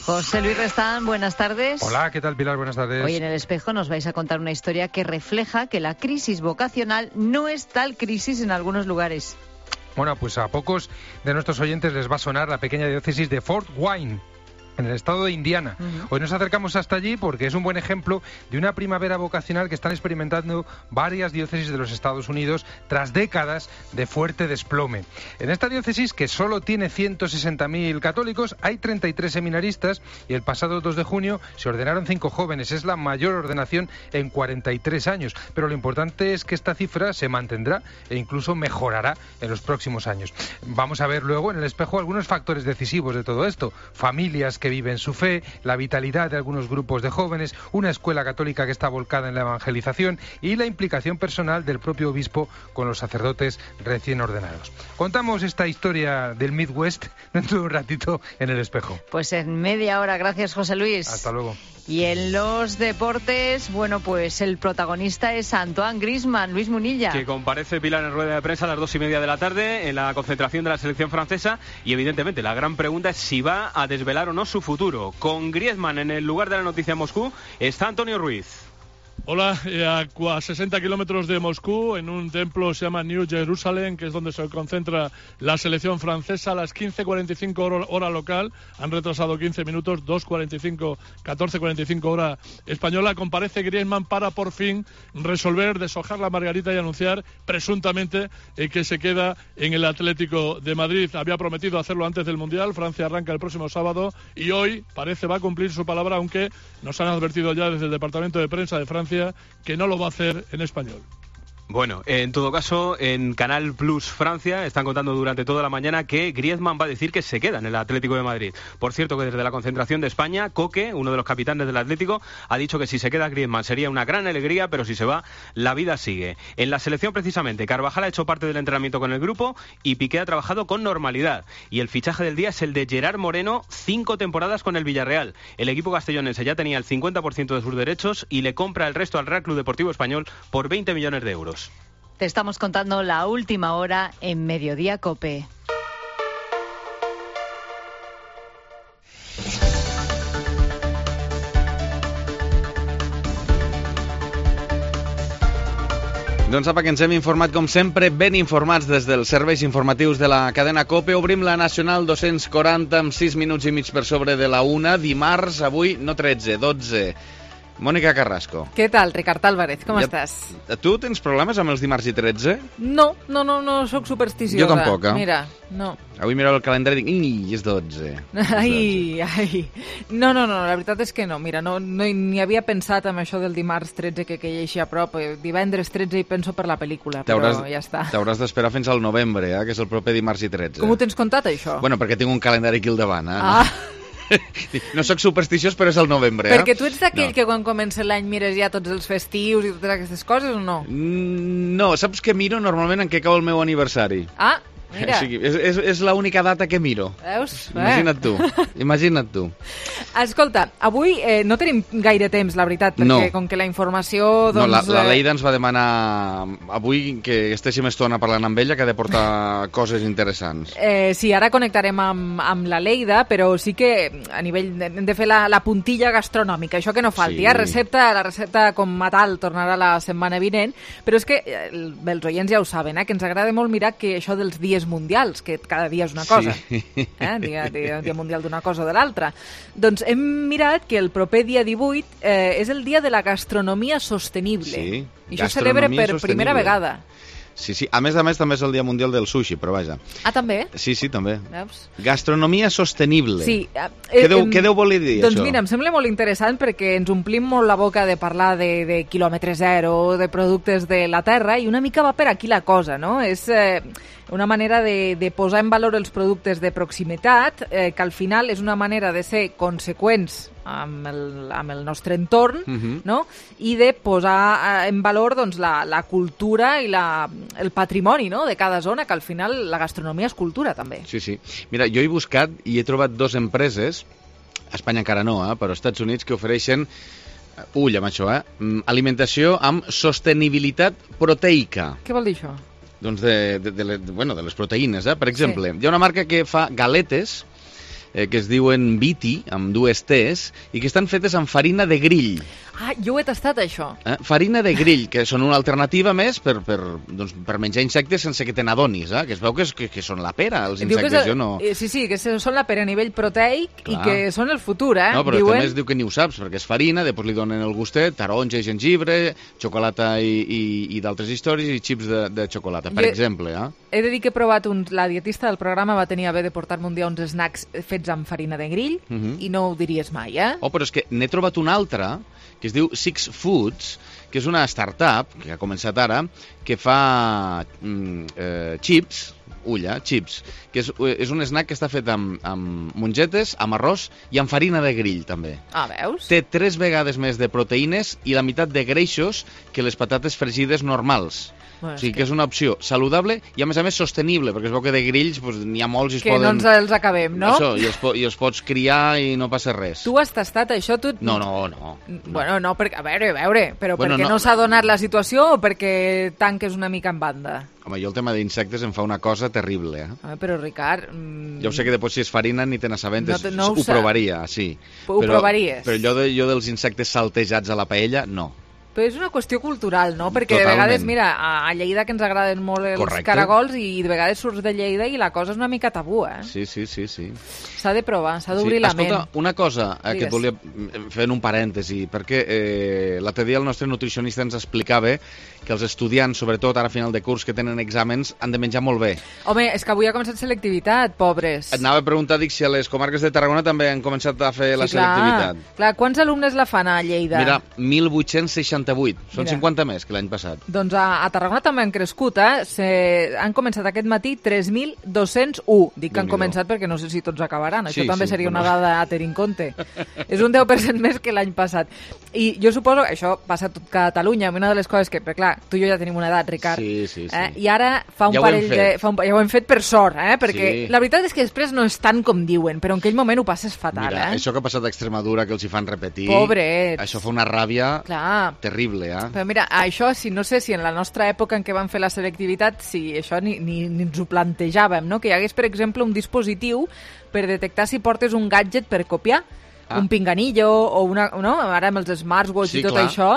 José Luis Restán, buenas tardes. Hola, ¿qué tal, Pilar? Buenas tardes. Hoy en El Espejo nos vais a contar una historia que refleja que la crisis vocacional no es tal crisis en algunos lugares. Bueno, pues a pocos de nuestros oyentes les va a sonar la pequeña diócesis de Fort Wayne. en el estado de Indiana. Uh-huh. Hoy nos acercamos hasta allí porque es un buen ejemplo de una primavera vocacional que están experimentando varias diócesis de los Estados Unidos tras décadas de fuerte desplome. En esta diócesis, que solo tiene ciento sesenta mil católicos, hay treinta y tres seminaristas y el pasado dos de junio se ordenaron cinco jóvenes. Es la mayor ordenación en cuarenta y tres años, pero lo importante es que esta cifra se mantendrá e incluso mejorará en los próximos años. Vamos a ver luego en el espejo algunos factores decisivos de todo esto. Familias que viven su fe, la vitalidad de algunos grupos de jóvenes, una escuela católica que está volcada en la evangelización y la implicación personal del propio obispo con los sacerdotes recién ordenados. Contamos esta historia del Midwest dentro de un ratito en el espejo. Pues en media hora. Gracias, José Luis. Hasta luego. Y en los deportes, bueno, pues el protagonista es Antoine Griezmann. Luis Munilla. Que comparece Pilar en rueda de prensa a las dos y media de la tarde en la concentración de la selección francesa y evidentemente la gran pregunta es si va a desvelar o no su futuro. Con Griezmann en el lugar de la noticia en Moscú está Antonio Ruiz. Hola, eh, a sesenta kilómetros de Moscú, en un templo se llama New Jerusalem, que es donde se concentra la selección francesa. A las quince cuarenta y cinco hora, hora local, han retrasado quince minutos, dos cuarenta y cinco, catorce cuarenta y cinco hora española. Comparece Griezmann para por fin resolver, deshojar la margarita y anunciar presuntamente eh, que se queda en el Atlético de Madrid. Había prometido hacerlo antes del Mundial. Francia arranca el próximo sábado y hoy parece va a cumplir su palabra, aunque nos han advertido ya desde el Departamento de Prensa de Francia que no lo va a hacer en español. Bueno, en todo caso, en Canal Plus Francia están contando durante toda la mañana que Griezmann va a decir que se queda en el Atlético de Madrid. Por cierto, que desde la concentración de España, Coque, uno de los capitanes del Atlético, ha dicho que si se queda Griezmann sería una gran alegría, pero si se va, la vida sigue. En la selección, precisamente, Carvajal ha hecho parte del entrenamiento con el grupo y Piqué ha trabajado con normalidad. Y el fichaje del día es el de Gerard Moreno, cinco temporadas con el Villarreal. El equipo castellonense ya tenía el cincuenta por ciento de sus derechos y le compra el resto al Real Club Deportivo Español por veinte millones de euros. Te estamos contando la última hora en Mediodía COPE. Doncs apa, que ens hem informat, com sempre, ben informats des dels serveis informatius de la cadena COPE. Obrim la Nacional dos-cents quaranta amb sis minuts i mig per sobre de la una. Dimarts, avui, no tretze, dotze. Mònica Carrasco. Què tal, Ricard Álvarez? Com ja, estàs? Tu tens problemes amb els dimarts i tretze? No, no, no, no sóc supersticiosa. Jo tampoc, eh? Mira, no. Avui mirava el calendari i dic, i és dotze. Ai, ai. No, no, no, la veritat és que no. Mira, no, no ni havia pensat en això del dimarts tretze que queia així a prop. Divendres tretze hi penso per la pel·lícula, però ja està. T'hauràs d'esperar fins al novembre, eh, que és el proper dimarts i tretze. Com ho tens comptat, això? Bueno, perquè tinc un calendari aquí al davant, eh? Ah. No sóc supersticiós, però és el novembre. Perquè eh? tu ets d'aquell no. que quan comença l'any mires ja tots els festius i totes aquestes coses o no? No, saps què miro normalment en què cau el meu aniversari? Ah, mira. O sigui, és, és, és l'única data que miro. Veus? Imagina't tu, imagina't tu. Escolta, avui eh, no tenim gaire temps, la veritat, perquè no. com que la informació... Doncs, no, la, la Leida ens va demanar avui que estéssim estona parlant amb ella, que ha de portar coses interessants. Eh, sí, ara connectarem amb, amb la Leida, però sí que a nivell de, hem de fer la, la puntilla gastronòmica, això que no falti. Sí. Eh? Recepta, la recepta com a tal tornarà la setmana vinent, però és que el, els oients ja ho saben, eh? que ens agrada molt mirar que això dels dies mundials, que cada dia és una cosa. Sí. Eh? Dia, dia, dia mundial d'una cosa o de l'altra. Doncs hem mirat que el proper dia divuit eh, és el dia de la gastronomia sostenible. Sí, i això es celebra per sostenible. Primera vegada. Sí, sí. A més a més, també és el Dia Mundial del Sushi, però vaja. Ah, també? Sí, sí, també. Veus? Gastronomia sostenible. Sí. Eh, què, deu, eh, què deu voler dir, doncs això? Doncs mira, em sembla molt interessant perquè ens omplim molt la boca de parlar de, de quilòmetre zero, de productes de la terra, i una mica va per aquí la cosa, no? És eh, una manera de, de posar en valor els productes de proximitat, eh, que al final és una manera de ser conseqüents amb el, amb el nostre entorn, uh-huh. no? I de posar en valor doncs, la, la cultura i la, el patrimoni, no? de cada zona, que al final la gastronomia és cultura també. Sí, sí. Mira, jo he buscat i he trobat dues empreses, a Espanya encara no, eh, però als Estats Units, que ofereixen, ull amb això, eh, alimentació amb sostenibilitat proteica. Què vol dir això? Doncs de, de, de, de, bueno, de les proteïnes, eh? Per exemple, sí. Hi ha una marca que fa galetes eh, que es diuen Viti, amb dues T's, i que estan fetes amb farina de grill. Ah, jo ho he tastat, això. Eh? Farina de grill, que són una alternativa més per, per, doncs, per menjar insectes sense que te n'adonis, eh? Que es veu que, és, que, que són la pera, els insectes, és, jo no... Sí, sí, que són la pera a nivell proteic. Clar. I que són el futur, eh? No, però Diuen... també es diu que ni ho saps, perquè és farina, després li donen el gustet, taronja i gengibre, xocolata i, i, i d'altres històries, i xips de, de xocolata, per jo... exemple, eh? He de dir que he provat, un, la dietista del programa va tenir a bé de portar-me un dia uns snacks fets amb farina de grill, uh -huh. i no ho diries mai, eh? Oh, però és que n'he trobat un altre, que es diu Six Foods, que és una startup, que ha començat ara, que fa mm, eh, chips, ulla, chips, que és, és un snack que està fet amb, amb mongetes, amb arròs i amb farina de grill, també. Ah, veus? Té tres vegades més de proteïnes i la meitat de greixos que les patates fregides normals. Bueno, o sigui que... que és una opció saludable i a més a més sostenible, perquè es veu que de grills pues, n'hi ha molts i es que poden... Que no ens els acabem, no? Això, i els, po i els pots criar i no passa res. Tu has tastat això? Tu... No, no, no. Bueno, no, perquè, a veure, a veure, però bueno, perquè no, no s'ha donat la situació o perquè tanques una mica en banda? Home, jo el tema d'insectes em fa una cosa terrible, eh? Home, però Ricard... Mmm... Ja ho sé que després si és farina ni te n'assabentes, no, no ho, ho provaria, sí. Ho però, provaries? Però allò de, jo dels insectes saltejats a la paella, no. Però és una qüestió cultural, no? Perquè Totalment. de vegades, mira, a Lleida que ens agraden molt els Correcte. caragols i de vegades surts de Lleida i la cosa és una mica tabú, eh? Sí, sí, sí, sí. S'ha de provar, s'ha d'obrir sí. la Escolta, ment. una cosa eh, que et volia fer en un parèntesi, perquè eh, l'altre dia el nostre nutricionista ens explicava que els estudiants, sobretot ara a final de curs, que tenen exàmens, han de menjar molt bé. Home, és que avui ha començat selectivitat, pobres. Et anava a preguntar, dic, si a les comarques de Tarragona també han començat a fer sí, la clar, selectivitat. Clar, quants alumnes la fan a Lleida? Mira, mil vuit-cents seixanta-vuit. Són Mira. cinquanta més que l'any passat. Doncs a, a Tarragona també han crescut, eh? Se, han començat aquest matí tres mil dos-cents u. Dic que han començat perquè no sé si tots acabaran. Això sí, també sí, seria però... una dada a tenir en compte. És un deu per cent més que l'any passat. I jo suposo que això passa a tot Catalunya. Una de les coses que, però clar, tu i jo ja tenim una edat, Ricard. Sí, sí, sí. Eh? I ara fa un ja parell de... Fa un, ja ho hem fet per sort, eh? Perquè sí. la veritat és que després no és tant com diuen, però en aquell moment ho passes fatal, Mira, eh? això que ha passat a Extremadura, que els hi fan repetir... Pobrets. Això fa una ràbia clar. terrible, eh? Però mira, això, si no sé si en la nostra època en què van fer la selectivitat, si això ni, ni, ni ens ho plantejàvem, no? Que hi hagués, per exemple, un dispositiu per detectar si portes un gadget per copiar, ah. un pinganillo o una... No? Ara amb els smartwatch sí, i tot clar. Això...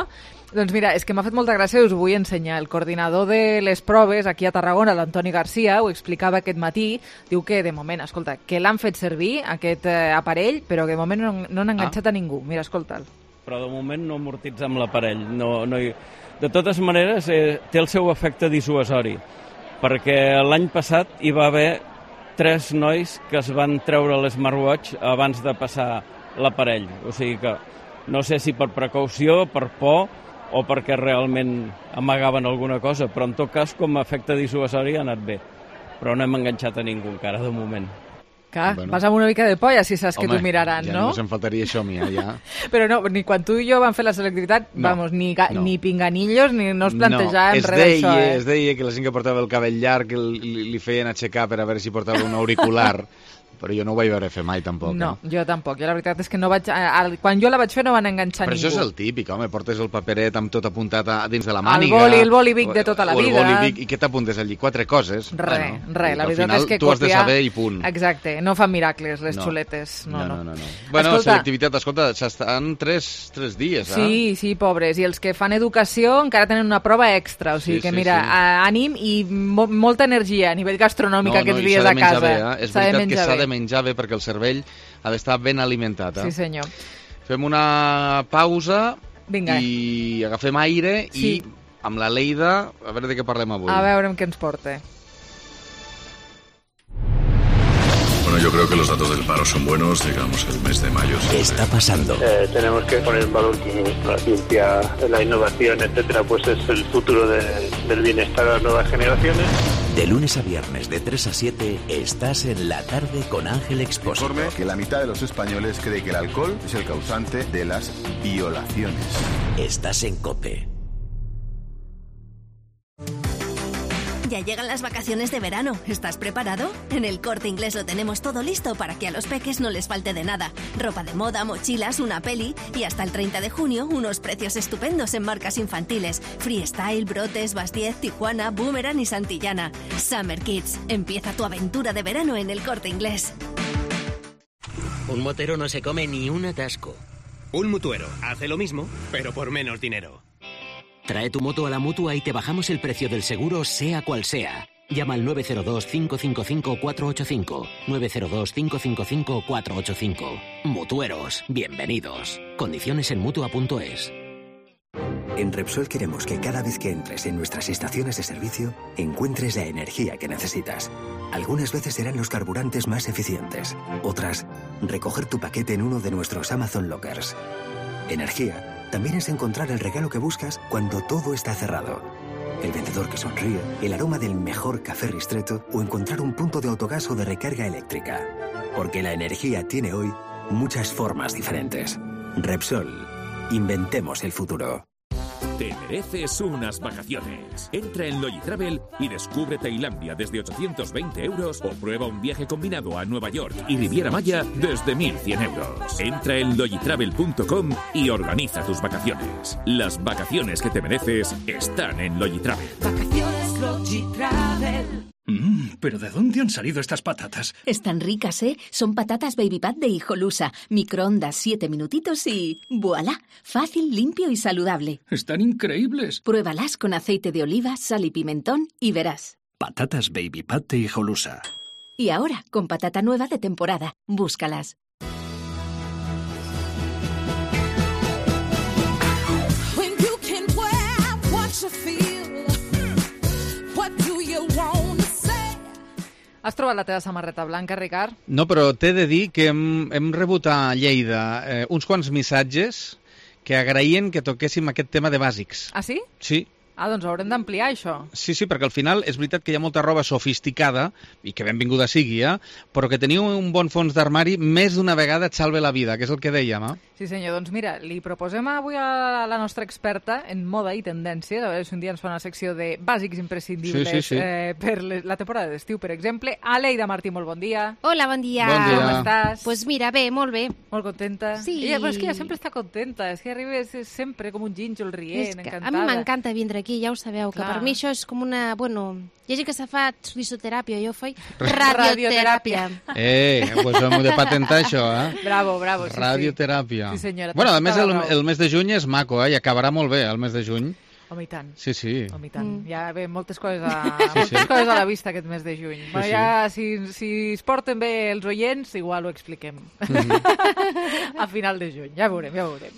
Doncs mira, és que m'ha fet molta gràcia i us ho vull ensenyar. El coordinador de les proves aquí a Tarragona, l'Antoni Garcia, ho explicava aquest matí. Diu que, de moment, escolta, que l'han fet servir, aquest eh, aparell, però que de moment no, no han enganxat ah. a ningú. Mira, escolta'l. Però de moment no amortitza amb l'aparell. No, no hi... De totes maneres, eh, té el seu efecte dissuasori, perquè l'any passat hi va haver tres nois que es van treure l'smartwatch abans de passar l'aparell. O sigui que no sé si per precaució, per por, o perquè realment amagaven alguna cosa, però en tot cas com a efecte dissuasori ha anat bé, però no hem enganxat a ningú encara de moment. Clar, bueno. Vas amb una mica de polla si saps Home, que t'ho miraran, ja no? no se'm faltaria això a mi, eh, ja. Però no, ni quan tu i jo vam fer la selectivitat, no, vamos, ni, no. ni pinganillos, ni no es plantejàvem no, res d'això, eh? Es deia que la gent que portava el cabell llarg li, li feien aixecar per a veure si portava un auricular, però jo no ho vaig veure fer mai, tampoc. No, eh? jo tampoc. Jo la veritat és que no vaig... Quan jo la vaig fer no van enganxar però ningú. Però això és el típic, home, portes el paperet amb tot apuntat a, dins de la màniga... El boli, el boli Vic de tota la o vida. El boli Vic, i què t'apuntes allí? Quatre coses? Re, bueno, re, la veritat final, és que tu copiar... has de saber i punt. Exacte, no fan miracles les no. xuletes. No, no, no. no, no. Bueno, escolta, selectivitat, escolta, s'estan tres, tres dies, eh? Sí, sí, pobres. I els que fan educació encara tenen una prova extra, o sigui sí, que, sí, mira, sí. ànim i mo molta energia a nivell gastronòmic no, aquests no, dies a casa. Bé, eh? És veritat que s'ha de menjar bé perquè el cervell ha d'estar ben alimentat. Eh? Sí, senyor. Fem una pausa Vinga. i agafem aire sí. i amb la Leida a veure de què parlem avui. A veure què ens porta. Bueno, yo creo que los datos del paro son buenos, digamos, el mes de mayo. ¿Qué está pasando? Eh, tenemos que poner en valor que la ciencia, la innovación, etcétera, pues es el futuro de, del bienestar de las nuevas generaciones. De lunes a viernes, de tres a siete, estás en La Tarde con Ángel Expósito. Informe que la mitad de los españoles cree que el alcohol es el causante de las violaciones. Estás en COPE. Ya llegan las vacaciones de verano. ¿Estás preparado? En El Corte Inglés lo tenemos todo listo para que a los peques no les falte de nada. Ropa de moda, mochilas, una peli y hasta el treinta de junio unos precios estupendos en marcas infantiles. Freestyle, Brotes, Bastiez, Tijuana, Boomerang y Santillana. Summer Kids. Empieza tu aventura de verano en El Corte Inglés. Un motero no se come ni un atasco. Un mutuero hace lo mismo, pero por menos dinero. Trae tu moto a la Mutua y te bajamos el precio del seguro, sea cual sea. Llama al nueve cero dos, cinco cinco cinco, cuatro ocho cinco. nueve cero dos, cinco cinco cinco, cuatro ocho cinco. Mutueros, bienvenidos. Condiciones en Mutua punto es. En Repsol queremos que cada vez que entres en nuestras estaciones de servicio, encuentres la energía que necesitas. Algunas veces serán los carburantes más eficientes. Otras, recoger tu paquete en uno de nuestros Amazon Lockers. Energía también es encontrar el regalo que buscas cuando todo está cerrado. El vendedor que sonríe, el aroma del mejor café Ristretto o encontrar un punto de autogas o de recarga eléctrica. Porque la energía tiene hoy muchas formas diferentes. Repsol. Inventemos el futuro. Te mereces unas vacaciones. Entra en Logitravel y descubre Tailandia desde ochocientos veinte euros o prueba un viaje combinado a Nueva York y Riviera Maya desde mil cien euros. Entra en logitravel punto com y organiza tus vacaciones. Las vacaciones que te mereces están en Logitravel. Vacaciones Logitravel. Mmm, pero ¿de dónde han salido estas patatas? Están ricas, ¿eh? Son patatas Baby Pat de Hijolusa. Microondas siete minutitos y... ¡voilá! Fácil, limpio y saludable. Están increíbles. Pruébalas con aceite de oliva, sal y pimentón y verás. Patatas Baby Pat de Hijolusa. Y ahora, con patata nueva de temporada. Búscalas. When you can wear what you feel, what do you want? Has trobat la teva samarreta blanca, Ricard? No, però t'he de dir que hem, hem rebut a Lleida eh, uns quants missatges que agraïen que toquéssim aquest tema de bàsics. Ah, sí? Sí. Ah, doncs haurem d'ampliar això. Sí, sí, perquè al final és veritat que hi ha molta roba sofisticada, i que benvinguda sigui, eh? Però que teniu un bon fons d'armari més d'una vegada et salve la vida, que és el que dèiem, eh? Sí, senyor. Doncs mira, li proposem avui a la nostra experta en moda i tendències, a veure si un dia ens fa una secció de bàsics imprescindibles sí, sí, sí. Eh, per la temporada d'estiu, per exemple. Aleida Martí, molt bon dia. Hola, bon dia. Bon dia. Com estàs? Pues mira, bé, molt bé. Molt contenta? Sí. Ella, però és que ella sempre està contenta, és que arriba sempre com un gínjol rient, és que encantada. a mi m'encanta vindre aquí, ja ho sabeu, que Clar. per mi això és com una... Bueno, hi ha gent que se fa risoteràpia, jo faig radioteràpia. Eh, pues hem de patentar això, eh? Bravo, bravo, sí, Radioteràpia. sí. Sí, senyora. Bueno, a més, el, el mes de juny és maco, eh? I acabarà molt bé, el mes de juny. Home, i tant. Sí, sí. Home, i tant. Mm. Ja ve moltes coses a, Sí, moltes sí. coses a la vista aquest mes de juny. Sí, Bueno, sí. ja, si, si es porten bé els oients, igual ho expliquem. Mhm. A final de juny, ja veurem, ja veurem.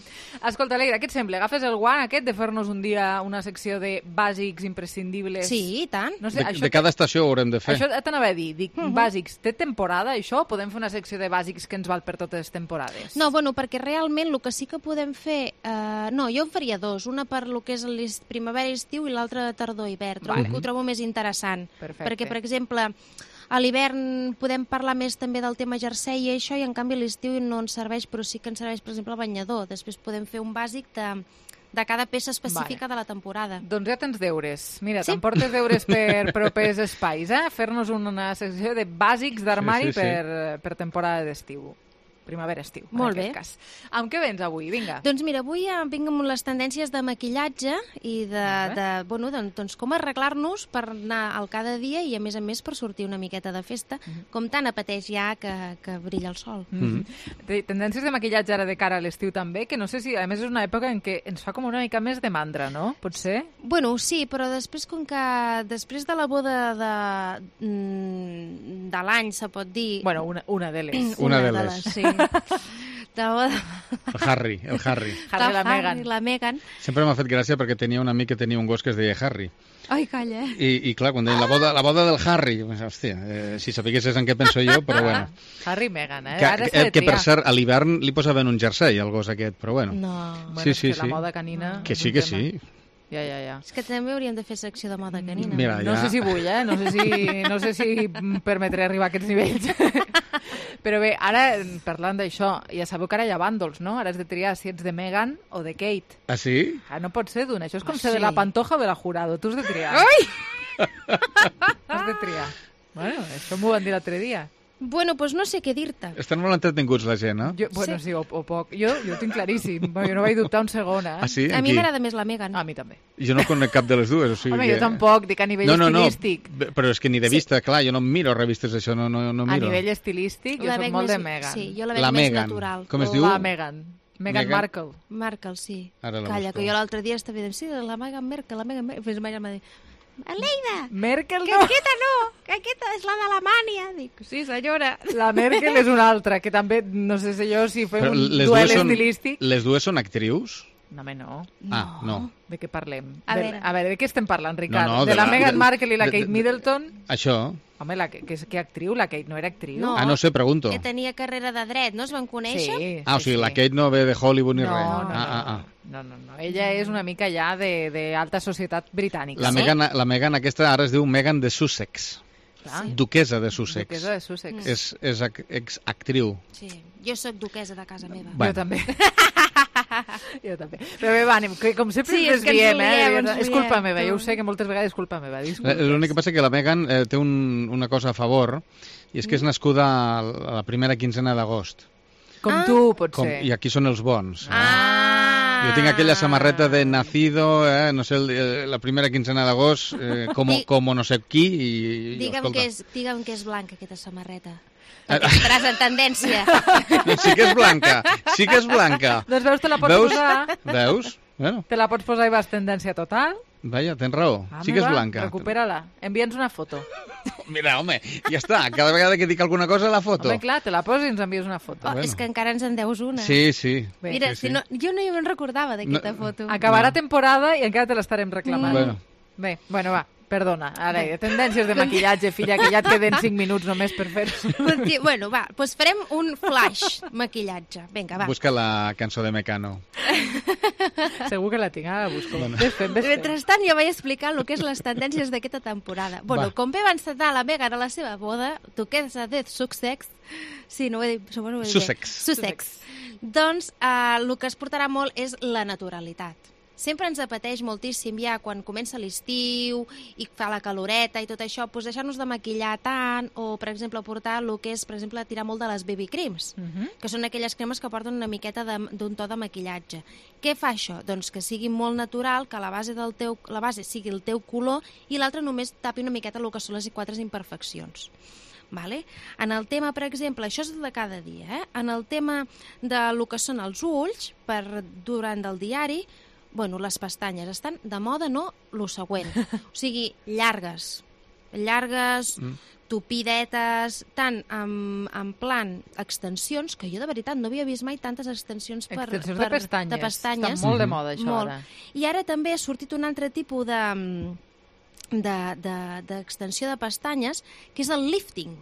Escolta, Aleida, què et sembla? Agafes el guant aquest de fer-nos un dia una secció de bàsics imprescindibles? Sí, i tant. No sé, De, això de cada estació ho haurem de fer. Això t'anava a dir, dic, Uh -huh. bàsics, té temporada això? O podem fer una secció de bàsics que ens val per totes les temporades? No, bueno, perquè realment el que sí que podem fer... Eh, no, jo en faria dos. Una per lo que és l'est- primavera i estiu i l'altra de tardor i hivern. Trobo Vale. que ho trobo més interessant. Perfecte. Perquè, per exemple, a l'hivern podem parlar més també del tema jersei i això, i en canvi a l'estiu no ens serveix, però sí que ens serveix, per exemple, el banyador. Després podem fer un bàsic de, de cada peça específica Vale. de la temporada. Doncs ja tens deures. Mira, Sí? t'emportes deures per propers espais, eh? Fer-nos una secció de bàsics d'armari Sí, sí, sí. per, per temporada d'estiu. Primavera-estiu, en Molt aquest bé. cas. Amb què vens avui? Vinga. Doncs mira, avui eh, vinc amb les tendències de maquillatge i de, Molt bé. de bueno, doncs, doncs com arreglar-nos per anar al cada dia i a més a més per sortir una miqueta de festa, Mhm. com tan apeteix ja que, que brilla el sol. Mm. Té Tendències de maquillatge ara de cara a l'estiu també, que no sé si, a més, és una època en què ens fa com una mica més de mandra, no? Pot ser? Bueno, sí, però després com que després de la boda de, mm, de l'any, se pot dir... Bueno, una, una de les. Una de de les. les, sí. De la boda El Harry, el Harry. Harry i la del Meghan. Harry, la Meghan. Sempre m'ha fet gràcia perquè tenia un amic que tenia un gos que es deia Harry. Ai, calla. I, i clar, quan deien la boda, la boda del Harry, pues, hòstia, eh, si sapiguessis en què penso jo, però bueno. Harry i Meghan, eh? Que, Ara s'ha que, de que per triar. cert, a l'hivern li posaven un jersei al gos aquest, però bueno. No. Bueno, Sí, és sí, que sí. la moda canina... Que és sí, un que tema. sí. Ja, ja, ja. És que també hauríem de fer secció de moda canina. Mira, No ja... sé si vull, eh? No sé si, no sé si em permetré arribar a aquests nivells. Però bé, ara, parlant d'això, ja sabeu que ara hi ha bàndols, no? Ara has de triar si ets de Meghan o de Kate. Ah, sí? Ah, no pot ser d'una. Això és com Ah, ser de sí. la Pantoja o de la Jurado. Tu has de triar. Ai! Has de triar. Bueno, això m'ho van dir l'altre dia. Bueno, doncs no sé què dir-te. Estan molt entretinguts la gent, eh? Jo, bueno, sí, o, o poc. Jo, jo ho tinc claríssim. Jo no vaig dubtar un segon, eh? Ah, sí? A mi Aquí? m'agrada més la Meghan. A mi també. Jo no conec cap de les dues, o sigui Home, que... jo tampoc, dic a nivell no, no, estilístic. No, però és que ni de vista, clar, jo no miro revistes d'això, no, no, no A miro. nivell estilístic, jo La soc veig molt més- de Meghan. sí, jo la veig La més Meghan. natural. Com es diu? La Meghan. Meghan Meghan- Markle. Markle, sí. Ara la Calla, busco. que jo l'altre dia estava dient, sí, la Meghan Markle, la Meghan Markle. Pues ma germà diu, Aleida, Merkel que no. aquesta no, que aquesta és la d'Alemanya. Dic, sí, senyora. La Merkel és una altra, que també, no sé si jo, si fem Però un les duel dues són, estilístic... les dues són actrius? No, home, no. Ah, no. De què parlem? A de, veure. a veure, de què estem parlant, Ricard? No, no, de, de la, la- Meghan de- Markle i la de- Kate de- Middleton? Això? Home, la, que, que, és- que actriu? La Kate no era actriu? No. Ah, no sé, pregunto. Que tenia carrera de dret, no es van conèixer? Sí, Ah, o sí, sigui, la sí. Kate no ve de Hollywood ni No, res. no, no, ah, ah, ah. No, no, no. Ella és una mica ja de, de alta societat britànica. La, no? Meghan, la Meghan aquesta ara es diu Meghan de Sussex. Clar. Duquesa de Sussex. Duquesa de Sussex. És, és ac- ex-actriu. Sí, jo sóc duquesa de casa meva. Bueno. Jo també. Jo també. Però bé, va, anem, que com sempre Sí, ens és que ens desviem, liem, eh? ens És culpa liem, meva, tu. jo ho sé que moltes vegades és culpa meva. Eh, Disculpes. L'únic que passa que la Meghan eh, té un, una cosa a favor, i és que és nascuda a la primera quinzena d'agost. Com tu, pot Com, ser. I aquí són els bons. Ah! Jo tinc aquella samarreta de nacido, eh, no sé, el, eh, la primera quinzena d'agost, eh, com, Di- com no sé qui, i, i Digue'm escolta. que, és, digue'm que és blanca, aquesta samarreta. Ah. Perquè estaràs en tendència. No, sí que és blanca, sí que és blanca. Doncs veus, te la pots Veus? posar. Veus? Bueno, Te la pots posar i vas tendència total. vaja, tens raó, Ah, sí que és va, blanca. Recupera-la. Envia'ns una foto. Mira, home, ja està, cada vegada que dic alguna cosa la foto. Home, clar, te la poses i ens envies una foto. Oh, és que encara ens en deus una. Sí, sí. Bé, Mira, sí, sí. si no, jo no me'n recordava d'aquesta No. foto. Acabarà No. temporada i encara te l'estarem reclamant. Bueno. Bé, bueno, va, perdona. Ara, tendències de maquillatge, filla, que ja et queden cinc minuts només per fer-ho. Conti- Bueno, va, doncs farem un flash maquillatge. Vinga, va. Busca la cançó de Mecano. Segur que la tinc, ara la busco. Bueno. Ves fent, ves fent. Mentrestant, jo vaig explicar el que és les tendències d'aquesta temporada. Bueno, Va. com bé va encetar la Meghan a la seva boda, duquesa de Sussex, sí, no ho he dit, bueno, ho he dit bé. Sussex. Sussex. Doncs eh, el que es portarà molt és la naturalitat. Sempre ens apeteix moltíssim ja quan comença l'estiu i fa la caloreta i tot això, doncs deixar-nos de maquillar tant o, per exemple, portar el que és, per exemple, tirar molt de les baby creams, Mhm. que són aquelles cremes que porten una miqueta de- d'un to de maquillatge. Què fa això? Doncs que sigui molt natural, que la base, del teu, la base sigui el teu color i l'altre només tapi una miqueta el que són les quatre imperfeccions. Vale? En el tema, per exemple, això és de cada dia, eh? En el tema de lo que són els ulls, per durant del diari, bueno, les pestanyes estan de moda, no? Lo següent. O sigui, llargues. Llargues, Mm. tupidetes, tant en, en plan extensions, que jo de veritat no havia vist mai tantes extensions per, Extensions per, de pestanyes. de pestanyes. Està molt de moda, això, Molt. ara. I ara també ha sortit un altre tipus de de- de- d'extensió de, de pestanyes, que és el lifting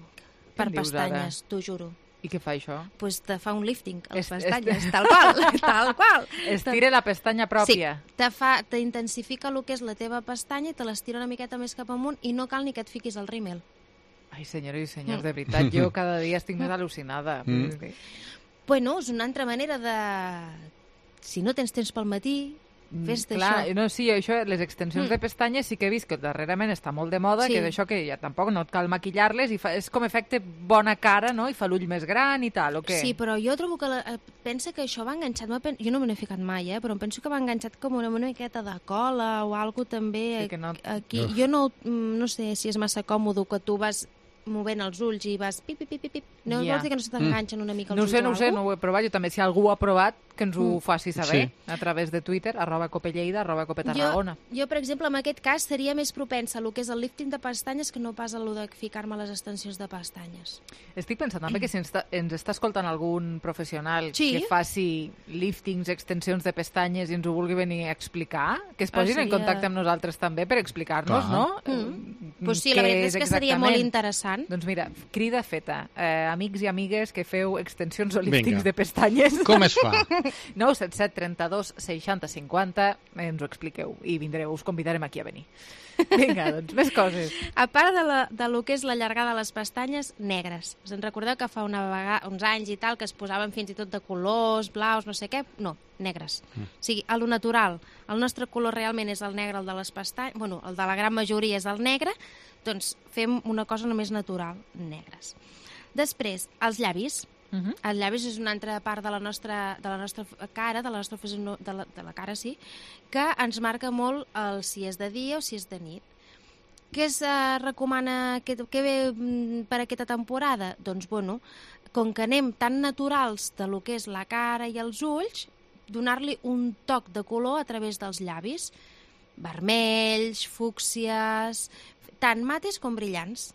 per Què dius, pestanyes, t'ho juro. I què fa això? Pues te fa un lifting a les Es- es- pestanyes, tal qual, tal qual. Estira la pestanya pròpia. Sí, te fa, t'intensifica el que és la teva pestanya i te l'estira una miqueta més cap amunt i no cal ni que et fiquis el rímel. Ai, senyores i senyors, de veritat, jo cada dia estic més al·lucinada. Mm. Bueno, és una altra manera de... Si no tens temps pel matí, fes-te Clar, això. no, sí, això, les extensions Mm. de pestanyes sí que he vist que darrerament està molt de moda, Sí. que d'això que ja tampoc no et cal maquillar-les i fa, és com efecte bona cara, no? I fa l'ull més gran i tal, o què? Sí, però jo trobo que la, eh, pensa que això va enganxat, m'ha pen- jo no me n'he ficat mai, eh, però em penso que va enganxat com una, una miqueta de cola o algo també. Sí, que no- Aquí, Uf. jo no, mm, no sé si és massa còmode que tu vas movent els ulls i vas pip, pip, pip, pip, pip. No Ja. vols dir que no se t'enganxen una mica els No ho ulls sé, o no ho sé, algo? no ho he provat. Jo també, si algú ho ha provat, que ens ho Mm. faci saber Sí. a través de Twitter, arroba copelleida, arroba copetarragona. Jo, jo, per exemple, en aquest cas seria més propensa a lo que és el lifting de pestanyes que no pas a lo de ficar-me les extensions de pestanyes. Estic pensant també que si ens, està- ens està escoltant algun professional Sí. que faci liftings, extensions de pestanyes i ens ho vulgui venir a explicar, que es posin Ah, en seria- contacte amb nosaltres també per explicar-nos, Clar. no? Mm. Pues sí, Què la veritat és que seria molt exactament. interessant. Doncs mira, crida feta. Eh, amics i amigues que feu extensions o liftings Vinga. de pestanyes. Com es fa? nou set set trenta-dos seixanta cinquanta, ens ho expliqueu i vindreu, us convidarem aquí a venir. Vinga, doncs, més coses. A part de, la, de lo que és la llargada de les pestanyes, negres. Us en recordeu que fa una vegada, uns anys i tal que es posaven fins i tot de colors, blaus, no sé què? No, negres. Mm. O sigui, a lo natural, el nostre color realment és el negre, el de les pestanyes, bueno, el de la gran majoria és el negre, doncs fem una cosa només natural, negres. Després, els llavis. Uh -huh. Els llavis és una altra part de la nostra, de la nostra cara, de la nostra fisono- de la, de la cara, sí, que ens marca molt el si és de dia o si és de nit. Què es uh, recomana, què, què ve mm, per aquesta temporada? Doncs, bueno, com que anem tan naturals de lo que és la cara i els ulls, donar-li un toc de color a través dels llavis. Vermells, fúcsies, tant mates com brillants.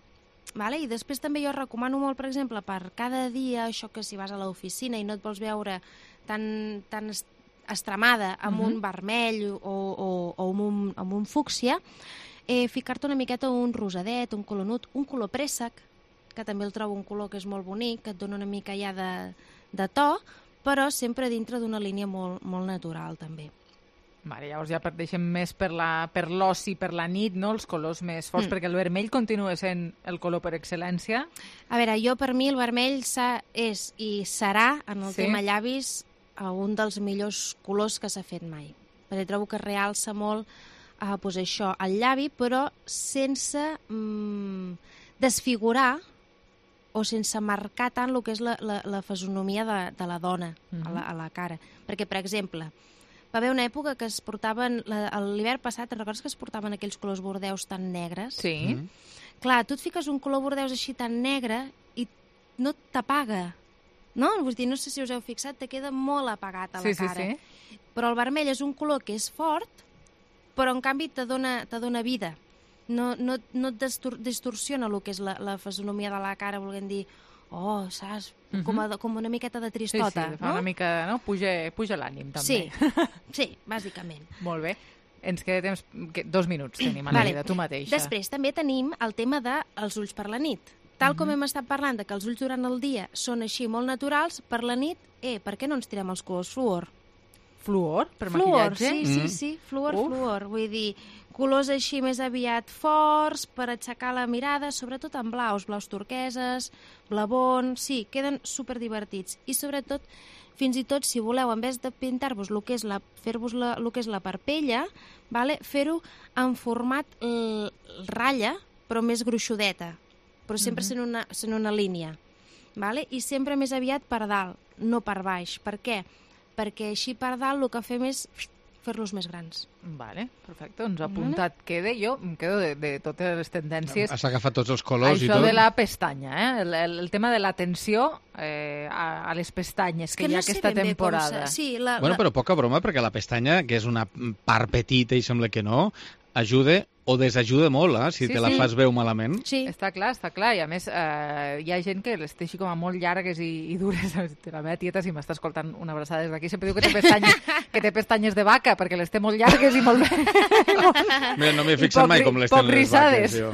Vale? I després també jo recomano molt, per exemple, per cada dia, això que si vas a l'oficina i no et vols veure tan, tan estremada amb uh-huh. un vermell o, o, o amb, un, amb un fúcsia, eh, ficar-te una miqueta un rosadet, un color nut, un color préssec, que també el trobo un color que és molt bonic, que et dona una mica ja de, de to, però sempre dintre d'una línia molt, molt natural, també. Vale, llavors ja deixem més per la, per l'oci, per la nit, no? Els colors més forts, mm. perquè el vermell continua sent el color per excel·lència. A veure, jo per mi el vermell és i serà, en el sí. tema llavis, un dels millors colors que s'ha fet mai. Perquè trobo que realça molt eh, pues això, el llavi, però sense mm, desfigurar o sense marcar tant el que és la, la, la fisonomia de, de la dona mm-hmm. a, la, a la cara. Perquè, per exemple, va haver una època que es portaven, l'hivern passat, te'n recordes que es portaven aquells colors bordeus tan negres? Sí. Mm. Clar, tu et fiques un color bordeus així tan negre i no t'apaga, no? Vull dir, no sé si us heu fixat, te queda molt apagat a la sí, cara. Sí, sí. Però el vermell és un color que és fort, però en canvi te dona, te dona vida. No, no, no et distor distorsiona el que és la, la fisonomia de la cara, volent dir, oh, saps? Uh-huh. com, a, com una miqueta de tristota, sí, sí, no? Una mica, no? Puja, puja l'ànim, també. Sí, sí, bàsicament. Molt bé. Ens queda temps, que, dos minuts tenim, Aleida, vale. Tu mateixa. Després també tenim el tema dels ulls per la nit. Tal uh-huh. com hem estat parlant de que els ulls durant el dia són així molt naturals, per la nit, eh, per què no ens tirem els colors fluor? Fluor? Per fluor, maquillatge? sí, sí, sí, fluor, Uf. fluor. Vull dir, colors així més aviat forts per aixecar la mirada, sobretot en blaus, blaus turqueses, blavons, sí, queden superdivertits. I sobretot, fins i tot, si voleu, en vez de pintar-vos el que és la, fer-vos la, el que és la parpella, vale, fer-ho en format l, ratlla, però més gruixudeta, però sempre uh-huh. sent, una, sent una línia, vale? I sempre més aviat per dalt, no per baix. Per què? Perquè així per dalt el que fem és fer-los més grans. Vale, perfecte, doncs apuntat vale. Queda. Jo em quedo de, de totes les tendències. Has agafat tots els colors Això i tot. Això de la pestanya, eh? el, el, el tema de l'atenció eh, a, a les pestanyes que, que hi ha no aquesta temporada. Sí, la, bueno, la... però poca broma, perquè la pestanya, que és una part petita i sembla que no, ajuda o desajuda molt, eh, si sí, te la sí. fas veu malament. Sí. Està clar, està clar. I a més, eh, hi ha gent que les té així com a molt llargues i, i dures. La meva tieta, si m'està escoltant una abraçada des d'aquí, sempre diu que té pestanyes, que té pestanyes de vaca, perquè les té molt llargues i molt bé. Mira, no m'he fixat mai com les tenen les vaques, jo.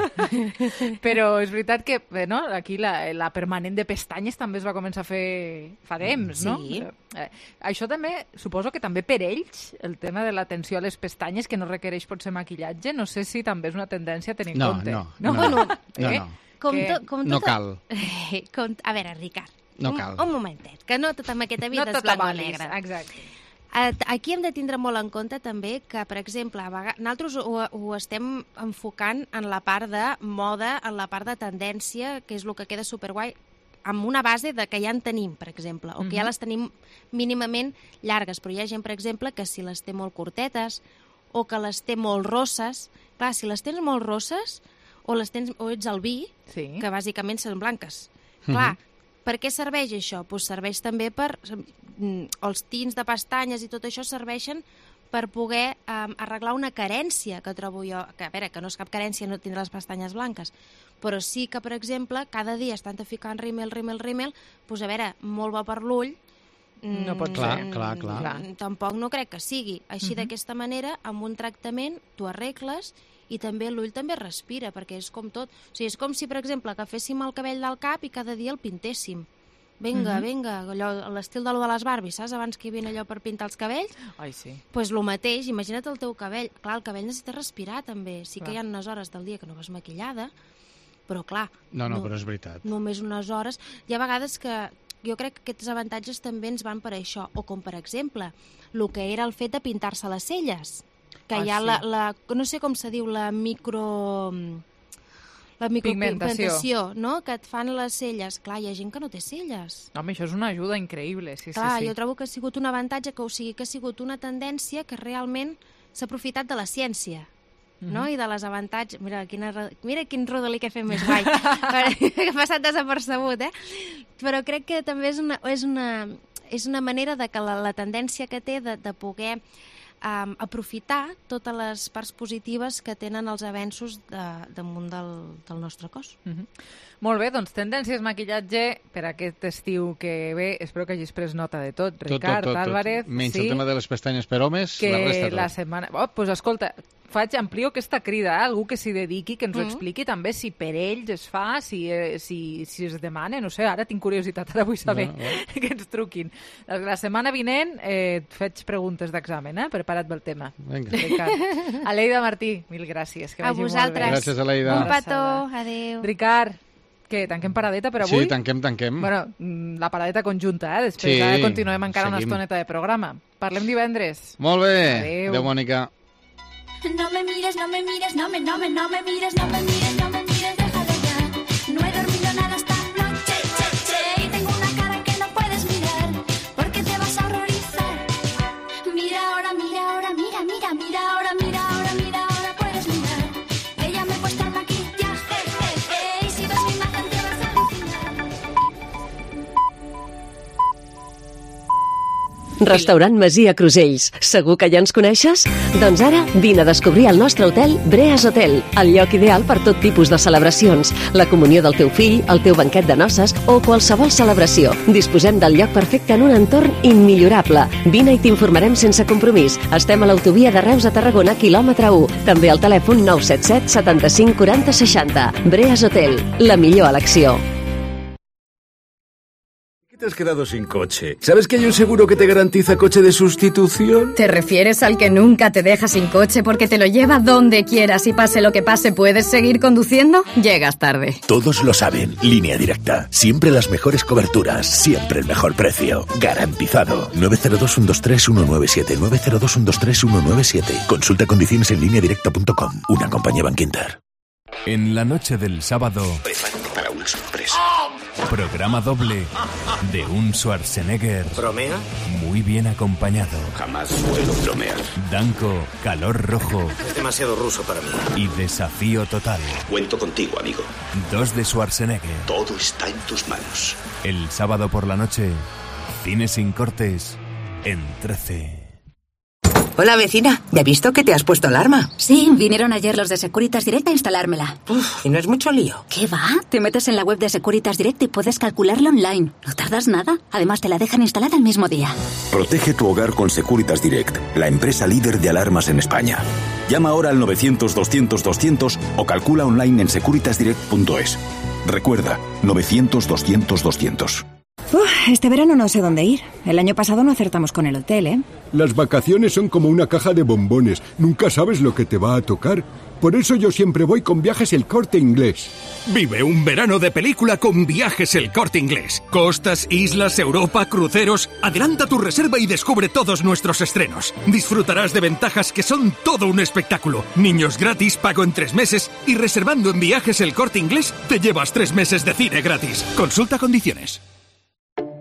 Però és veritat que bé, no? Aquí la, la permanent de pestanyes també es va començar a fer fa temps, no? Sí. Eh, això també, suposo que també per ells, el tema de l'atenció a les pestanyes, que no requereix potser maquillatge, no sé si també és una tendència a tenir en no, compte. No, no, no. no. no, no. Com to, com no cal. Com, a veure, Ricard, no cal. un, un momentet, que no tota aquesta vida no és blanc o valis, negre. Exacte. Aquí hem de tindre molt en compte també que, per exemple, a vegades, nosaltres ho, ho estem enfocant en la part de moda, en la part de tendència, que és el que queda superguai, amb una base de que ja en tenim, per exemple, o que ja les tenim mínimament llargues, però hi ha gent, per exemple, que si les té molt curtetes o que les té molt rosses, clar, si les tens molt rosses o les tens o ets al vi, sí. que bàsicament són blanques. Clar, uh-huh. per què serveix això? Pues serveix també per... Els tints de pestanyes i tot això serveixen per poder um, arreglar una carència que trobo jo, que a veure, que no és cap carència no tindre les pestanyes blanques, però sí que, per exemple, cada dia estan ficant rímel, rímel, rímel, doncs a veure, molt bo per l'ull, no pot clar, ser. Clar, clar, clar. Tampoc no crec que sigui. Així Uh-huh. d'aquesta manera, amb un tractament, tu arregles i també l'ull també respira, perquè és com tot. O sigui, és com si, per exemple, agaféssim el cabell del cap i cada dia el pintéssim. Vinga, Uh-huh. vinga, allò, l'estil de lo de les Barbies, saps? Abans que hi havia allò per pintar els cabells. Ai, sí. Doncs pues el mateix, imagina't el teu cabell. Clar, el cabell necessita respirar també. Sí Clar. que hi ha unes hores del dia que no vas maquillada, però clar... No, no, no però és veritat. Només unes hores. Hi ha vegades que jo crec que aquests avantatges també ens van per això. O com, per exemple, el que era el fet de pintar-se les celles. Que ah, hi ha sí. la, la... No sé com se diu, la micro... La micropigmentació, no? Que et fan les celles. Clar, hi ha gent que no té celles. Home, això és una ajuda increïble, sí, Clar, sí, sí. jo trobo que ha sigut un avantatge, que o sigui que ha sigut una tendència que realment s'ha aprofitat de la ciència. no? I de les avantatges... Mira, quina, mira quin rodolí que he fet més guai, que ha passat desapercebut, eh? Però crec que també és una, és una, és una manera de que la, la tendència que té de, de poder um, aprofitar totes les parts positives que tenen els avenços de, damunt del, del nostre cos. Mm-hmm. Molt bé, doncs tendències maquillatge per aquest estiu que ve. Espero que hagis pres nota de tot, Ricard, tot, tot, tot. Álvarez. Menys sí, el tema de les pestanyes per homes, que la resta tot. la setmana... Oh, pues escolta, faig, amplio aquesta crida, eh? Algú que s'hi dediqui, que ens ho Mm. expliqui també si per ells es fa, si, eh, si, si es demana, no sé, ara tinc curiositat, ara vull saber No, no. que ens truquin. La setmana vinent eh, et faig preguntes d'examen, eh? Prepara't pel tema. Vinga. Ricard. Aleida Martí, mil gràcies, que A vagi vosaltres. molt bé. Gràcies, Aleida. Un petó, adéu. Ricard, què, tanquem paradeta per avui? Sí, tanquem, tanquem. Bueno, mm, la paradeta conjunta, eh? Després Sí, ara continuem encara una seguim. estoneta de programa. Parlem divendres. Molt bé. Adéu. Adéu, Mònica. No me mires, no me mires, no me, no me, no me mires, no me mires, no me mires, déjalo ya. No he dormido nada esta noche, che, che, y tengo una cara que no puedes mirar, porque te vas a horrorizar. Mira ahora, mira ahora, mira, mira, mira ahora, mira ahora, mira ahora, puedes mirar. Que ya me he puesto el maquillaje, eh, eh, y si ves mi imagen te vas a alucinar. Restaurant Masia Crusells. Segur que ja ens coneixes? Doncs ara vine a descobrir el nostre hotel Breas Hotel, el lloc ideal per tot tipus de celebracions, la comunió del teu fill, el teu banquet de noces o qualsevol celebració. Disposem del lloc perfecte en un entorn immillorable. Vine i t'informarem sense compromís. Estem a l'autovia de Reus a Tarragona, quilòmetre u. També al telèfon nou set set setanta-cinc quaranta seixanta. Breas Hotel, la millor elecció. ¿Te has quedado sin coche? ¿Sabes que hay un seguro que te garantiza coche de sustitución? ¿Te refieres al que nunca te deja sin coche porque te lo lleva donde quieras y pase lo que pase puedes seguir conduciendo? Llegas tarde. Todos lo saben. Línea Directa. Siempre las mejores coberturas. Siempre el mejor precio. Garantizado. nueve cero dos, uno dos tres, uno nueve siete. nueve cero dos, uno dos tres, uno nueve siete. Consulta condiciones en línea directa punto com. Una compañía Bankinter. En la noche del sábado, Prepárate para una sorpresa. programa doble de un Schwarzenegger ¿Bromea? muy bien acompañado. Jamás suelo bromear. Danko, calor rojo Es demasiado ruso para mí. y desafío total. Cuento contigo, amigo. Dos de Schwarzenegger. Todo está en tus manos. El sábado por la noche, cine sin cortes en trece. Hola, vecina. ¿Ya he visto que te has puesto alarma? Sí, vinieron ayer los de Securitas Direct a instalármela. Uf, y no es mucho lío. ¿Qué va? Te metes en la web de Securitas Direct y puedes calcularlo online. No tardas nada. Además, te la dejan instalada el mismo día. Protege tu hogar con Securitas Direct, la empresa líder de alarmas en España. Llama ahora al novecientos, doscientos, doscientos o calcula online en securitas direct punto es. Recuerda, novecientos, doscientos, doscientos. Uf, este verano no sé dónde ir. El año pasado no acertamos con el hotel, ¿eh? Las vacaciones son como una caja de bombones. Nunca sabes lo que te va a tocar. Por eso yo siempre voy con Viajes El Corte Inglés. Vive un verano de película con Viajes El Corte Inglés. Costas, islas, Europa, cruceros. Adelanta tu reserva y descubre todos nuestros estrenos. Disfrutarás de ventajas que son todo un espectáculo. Niños gratis, pago en tres meses y reservando en Viajes El Corte Inglés te llevas tres meses de cine gratis. Consulta condiciones.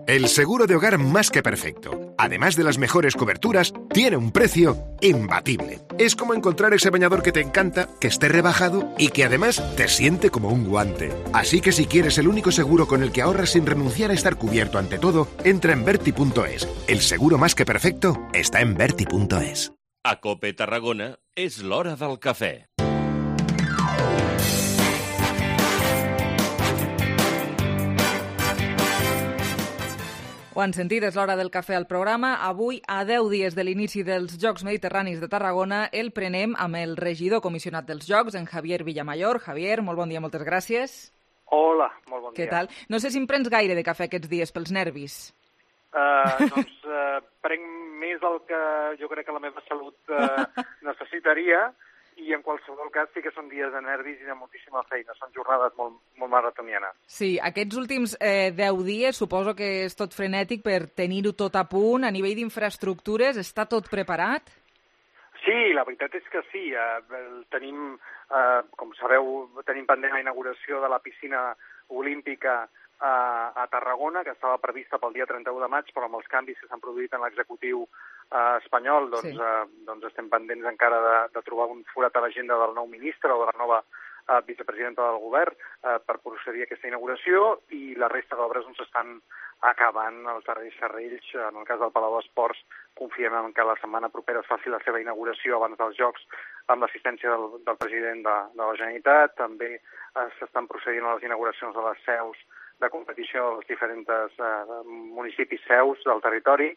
El seguro de hogar más que perfecto, además de las mejores coberturas, tiene un precio imbatible. Es como encontrar ese bañador que te encanta, que esté rebajado y que además te siente como un guante. Así que si quieres el único seguro con el que ahorras sin renunciar a estar cubierto ante todo, entra en Berti punto es. El seguro más que perfecto está en Berti punto es. A Cope Tarragona és l'hora del cafè. Ho han sentit, és l'hora del cafè al programa. Avui, a deu dies de l'inici dels Jocs Mediterranis de Tarragona, el prenem amb el regidor comissionat dels Jocs, en Javier Villamayor. Javier, molt bon dia, moltes gràcies. Hola, molt bon dia. Què tal? No sé si em prens gaire de cafè aquests dies pels nervis. Uh, doncs uh, prenc més del que jo crec que la meva salut uh, necessitaria, i en qualsevol cas sí que són dies de nervis i de moltíssima feina. Són jornades molt, molt maratonianes. Sí, aquests últims eh, deu dies suposo que és tot frenètic per tenir-ho tot a punt. A nivell d'infraestructures, està tot preparat? Sí, la veritat és que sí. Eh, tenim, eh, com sabeu, tenim pendent la inauguració de la piscina olímpica a, a Tarragona, que estava prevista pel dia trenta-u de maig, però amb els canvis que s'han produït en l'executiu eh, espanyol, doncs, sí. eh, doncs estem pendents encara de, de trobar un forat a l'agenda del nou ministre o de la nova eh, vicepresidenta del govern eh, per procedir a aquesta inauguració, i la resta d'obres doncs, estan acabant els darrers serrells. En el cas del Palau d'Esports, confiem en que la setmana propera es faci la seva inauguració abans dels Jocs amb l'assistència del, del president de, de la Generalitat. També eh, s'estan procedint a les inauguracions de les seus de competició dels diferents eh, municipis seus del territori,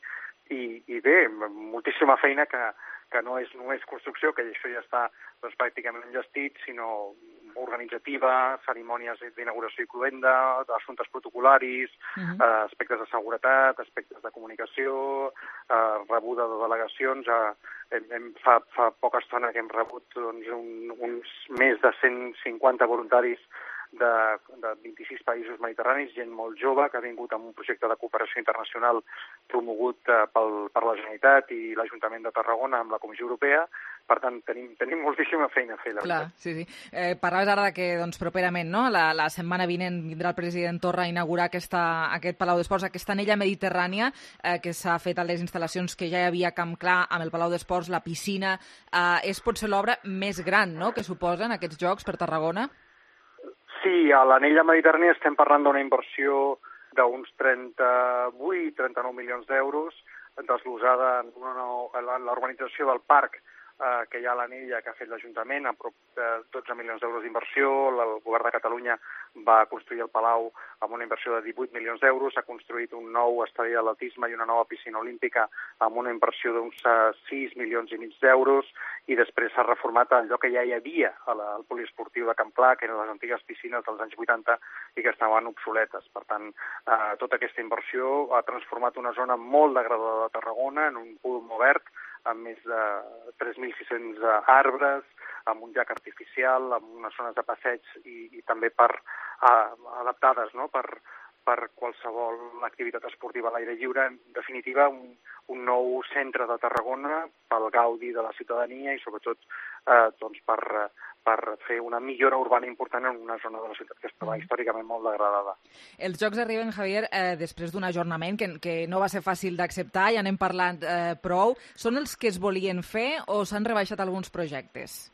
i, i bé, moltíssima feina que, que no és només construcció, que això ja està doncs, pràcticament enllestit, sinó organitzativa, cerimònies d'inauguració i cloenda, assumptes protocolaris, uh-huh. eh, aspectes de seguretat, aspectes de comunicació, eh, rebuda de delegacions. Eh, hem, hem, fa, fa poca estona que hem rebut doncs, un, uns més de cent cinquanta voluntaris de, de vint-i-sis països mediterranis, gent molt jove que ha vingut amb un projecte de cooperació internacional promogut eh, pel, per la Generalitat i l'Ajuntament de Tarragona amb la Comissió Europea. Per tant, tenim, tenim moltíssima feina a fer, la Clar, veritat. Sí, sí. Eh, parlaves ara de que doncs, properament, no? la, la setmana vinent vindrà el president Torra a inaugurar aquesta, aquest Palau d'Esports, aquesta anella mediterrània eh, que s'ha fet a les instal·lacions que ja hi havia a Camp Clar, amb el Palau d'Esports, la piscina. Eh, és potser l'obra més gran, no?, que suposen aquests Jocs per Tarragona? Sí, a l'anella mediterrània estem parlant d'una inversió d'uns trenta-vuit trenta-nou milions d'euros, desglosada en una, l'urbanització del parc eh, que hi ha a l'anella, que ha fet l'Ajuntament, a prop de dotze milions d'euros d'inversió. El govern de Catalunya va construir el Palau amb una inversió de divuit milions d'euros, ha construït un nou estadi d'atletisme i una nova piscina olímpica amb una inversió d'uns sis milions i mig d'euros, i després s'ha reformat allò que ja hi havia al poliesportiu de Camp Clar, que eren les antigues piscines dels anys vuitanta i que estaven obsoletes. Per tant, eh, tota aquesta inversió ha transformat una zona molt degradada de Tarragona en un punt obert, amb més de tres mil sis-cents arbres, amb un llac artificial, amb unes zones de passeig i, i també per, uh, adaptades, no?, per, per qualsevol activitat esportiva a l'aire lliure. En definitiva, un, un nou centre de Tarragona pel gaudi de la ciutadania i sobretot eh, doncs per, per fer una millora urbana important en una zona de la ciutat que estava històricament molt degradada. Els Jocs arriben, Javier, eh, després d'un ajornament que, que no va ser fàcil d'acceptar, ja n'hem parlat eh, prou. Són els que es volien fer o s'han rebaixat alguns projectes?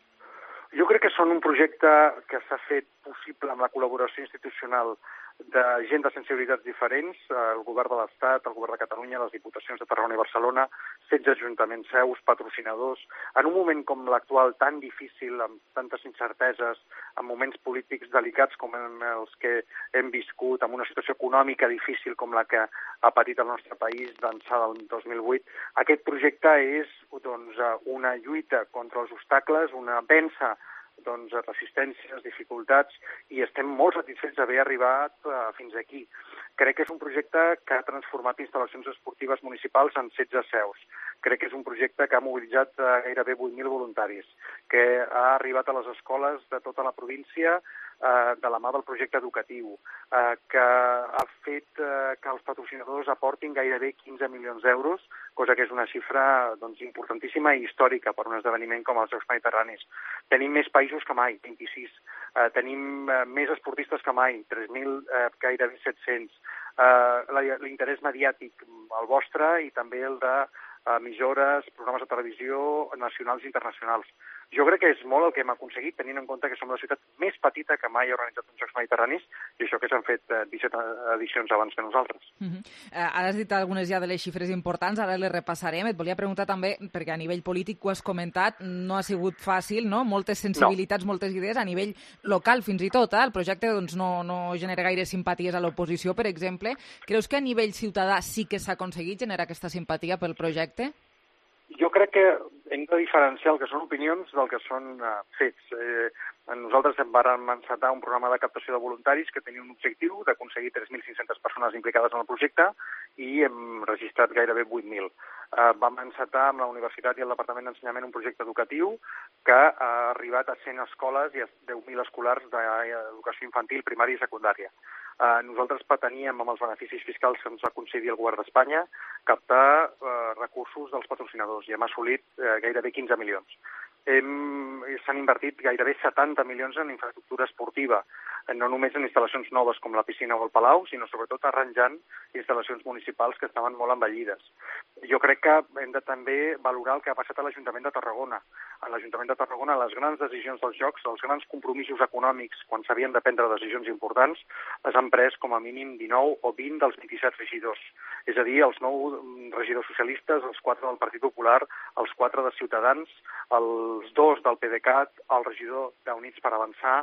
Jo crec que són un projecte que s'ha fet possible amb la col·laboració institucional de gent de sensibilitats diferents, el govern de l'Estat, el govern de Catalunya, les diputacions de Tarragona i Barcelona, setze ajuntaments seus, patrocinadors. En un moment com l'actual, tan difícil, amb tantes incerteses, amb moments polítics delicats com els que hem viscut, amb una situació econòmica difícil com la que ha patit el nostre país d'ençà del dos mil vuit, aquest projecte és doncs, una lluita contra els obstacles, una vèncer doncs, resistències, dificultats, i estem molt satisfets d'haver arribat uh, fins aquí. Crec que és un projecte que ha transformat instal·lacions esportives municipals en setze seus. Crec que és un projecte que ha mobilitzat uh, gairebé vuit mil voluntaris, que ha arribat a les escoles de tota la província uh, de la mà del projecte educatiu, uh, que ha fet uh, que els patrocinadors aportin gairebé quinze milions d'euros, cosa que és una xifra doncs, importantíssima i històrica per un esdeveniment com els Jocs Mediterranis. Tenim més països que mai, vint-i-sis. Uh, tenim uh, més esportistes que mai, tres mil, uh, gairebé set-cents. Uh, l'interès mediàtic, el vostre, i també el de emissores, programes de televisió nacionals i internacionals. Jo crec que és molt el que hem aconseguit, tenint en compte que som la ciutat més petita que mai ha organitzat uns Jocs Mediterranis, i això que s'han fet disset edicions abans que nosaltres. Uh-huh. Uh, ara has dit algunes ja de les xifres importants, ara les repassarem. Et volia preguntar també, perquè a nivell polític ho has comentat, no ha sigut fàcil, no? Moltes sensibilitats, no. Moltes idees, a nivell local fins i tot. Eh? El projecte doncs, no, no genera gaire simpaties a l'oposició, per exemple. Creus que a nivell ciutadà sí que s'ha aconseguit generar aquesta simpatia pel projecte? Jo crec que hem de diferenciar el que són opinions del que són uh, fets. Eh, nosaltres vam encetar un programa de captació de voluntaris que tenia un objectiu d'aconseguir tres mil cinc-centes persones implicades en el projecte i hem registrat gairebé vuit mil. Uh, vam encetar amb la Universitat i el Departament d'Ensenyament un projecte educatiu que ha arribat a cent escoles i a deu mil escolars d'educació infantil, primària i secundària. Uh, nosaltres preteníem, amb els beneficis fiscals que ens va concedir el govern d'Espanya, captar uh, recursos dels patrocinadors i hem assolit uh, gairebé quinze milions. S'han invertit gairebé setanta milions en infraestructura esportiva. no només en instal·lacions noves com la piscina o el Palau, sinó sobretot arranjant instal·lacions municipals que estaven molt envellides. Jo crec que hem de també valorar el que ha passat a l'Ajuntament de Tarragona. A l'Ajuntament de Tarragona les grans decisions dels jocs, els grans compromisos econòmics, quan s'havien de prendre decisions importants, les han pres com a mínim dinou o vint dels vint-i-set regidors. És a dir, els nou regidors socialistes, els quatre del Partit Popular, els quatre de Ciutadans, els dos del PDeCAT, el regidor d'Units per Avançar,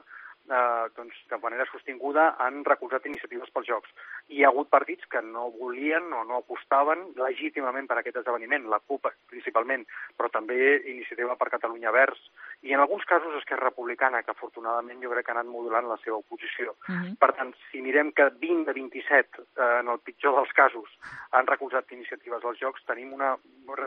eh, doncs, de manera sostinguda han recolzat iniciatives pels Jocs. Hi ha hagut partits que no volien o no apostaven legítimament per aquest esdeveniment, la CUP principalment, però també Iniciativa per Catalunya Verds, i en alguns casos Esquerra Republicana, que afortunadament jo crec que ha anat modulant la seva oposició. Uh-huh. Per tant, si mirem que vint de vint-i-set, eh, en el pitjor dels casos, han recolzat iniciatives als Jocs, tenim una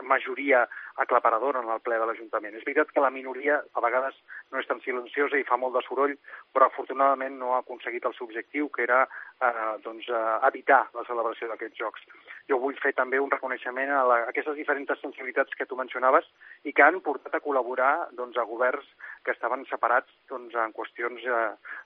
majoria aclaparadora en el ple de l'Ajuntament. És veritat que la minoria a vegades no és tan silenciosa i fa molt de soroll, però afortunadament no ha aconseguit el seu objectiu, que era eh, doncs, eh, evitar la celebració d'aquests Jocs. Jo vull fer també un reconeixement a, la, a aquestes diferents sensibilitats que tu mencionaves i que han portat a col·laborar doncs, a governs que estaven separats doncs, en qüestions eh,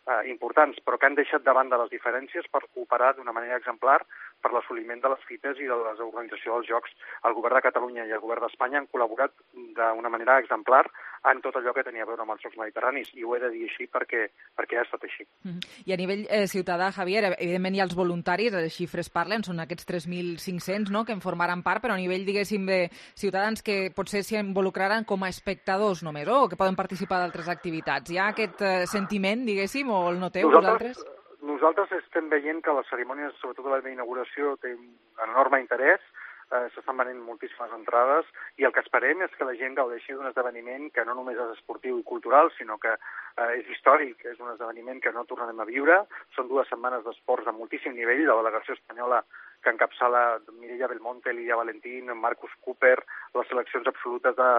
eh, importants, però que han deixat de banda les diferències per cooperar d'una manera exemplar per l'assoliment de les fites i de l'organització dels Jocs. El govern de Catalunya i el govern d'Espanya han col·laborat d'una manera exemplar en tot allò que tenia a veure amb els Jocs Mediterranis, i ho he de dir així perquè, perquè ha estat així. Mm-hmm. I a nivell eh, ciutadà, Javier, evidentment hi ha els voluntaris, les xifres parlen, són aquests tres mil cinc-cents, no?, que en formaran part, però a nivell, diguéssim, de ciutadans que potser s'hi involucraran com a espectadors només, o que poden participar d'altres activitats. Hi ha aquest eh, sentiment, diguéssim, o el noteu vosaltres? Nosaltres estem veient que les cerimònies, sobretot la d'inauguració, té un enorme interès, eh, s'estan venent moltíssimes entrades, i el que esperem és que la gent gaudeixi d'un esdeveniment que no només és esportiu i cultural, sinó que eh, és històric, és un esdeveniment que no tornarem a viure. Són dues setmanes d'esports de moltíssim nivell, la delegació espanyola que encapçala Mireia Belmonte, Lidia Valentín, Marcus Cooper, les seleccions absolutes de,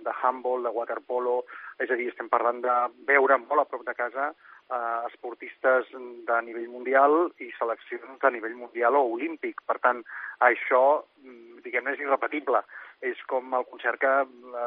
de handball, de waterpolo, és a dir, estem parlant de veure molt a prop de casa eh, esportistes de nivell mundial i seleccions de nivell mundial o olímpic. Per tant, això, diguem-ne, és irrepetible. És com el concert que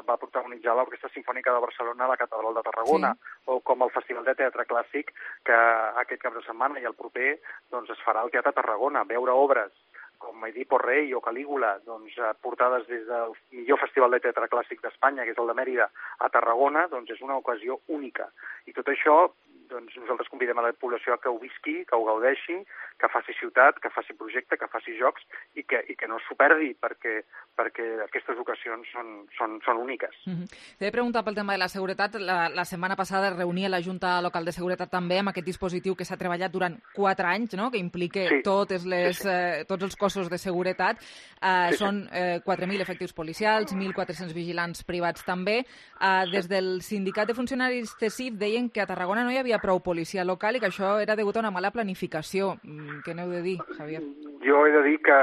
va protagonitzar l'Orquestra Simfònica de Barcelona a la Catedral de Tarragona, sí. O com el Festival de Teatre Clàssic que aquest cap de setmana i el proper doncs, es farà al Teatre Tarragona, veure obres com Edipo Rei o Calígula, doncs, portades des del millor festival de teatre clàssic d'Espanya, que és el de Mèrida, a Tarragona, doncs és una ocasió única. I tot això, doncs, nosaltres convidem a la població que ho visqui, que ho gaudeixi, que faci ciutat, que faci projecte, que faci jocs i que, i que no s'ho perdi, perquè, perquè aquestes ocasions són, són, són úniques. Mm-hmm. T'he de preguntar pel tema de la seguretat. La, la setmana passada es reunia la Junta Local de Seguretat també amb aquest dispositiu que s'ha treballat durant quatre anys, no?, que implica sí. totes les, sí, sí. Eh, tots els cossos de seguretat. Eh, sí, són eh, quatre mil efectius policials, mil quatre-cents vigilants privats també. Eh, des del sindicat de funcionaris C E S I F deien que a Tarragona no hi havia prou policia local i que això era degut a una mala planificació. Què n'heu de dir, Javier? Jo he de dir que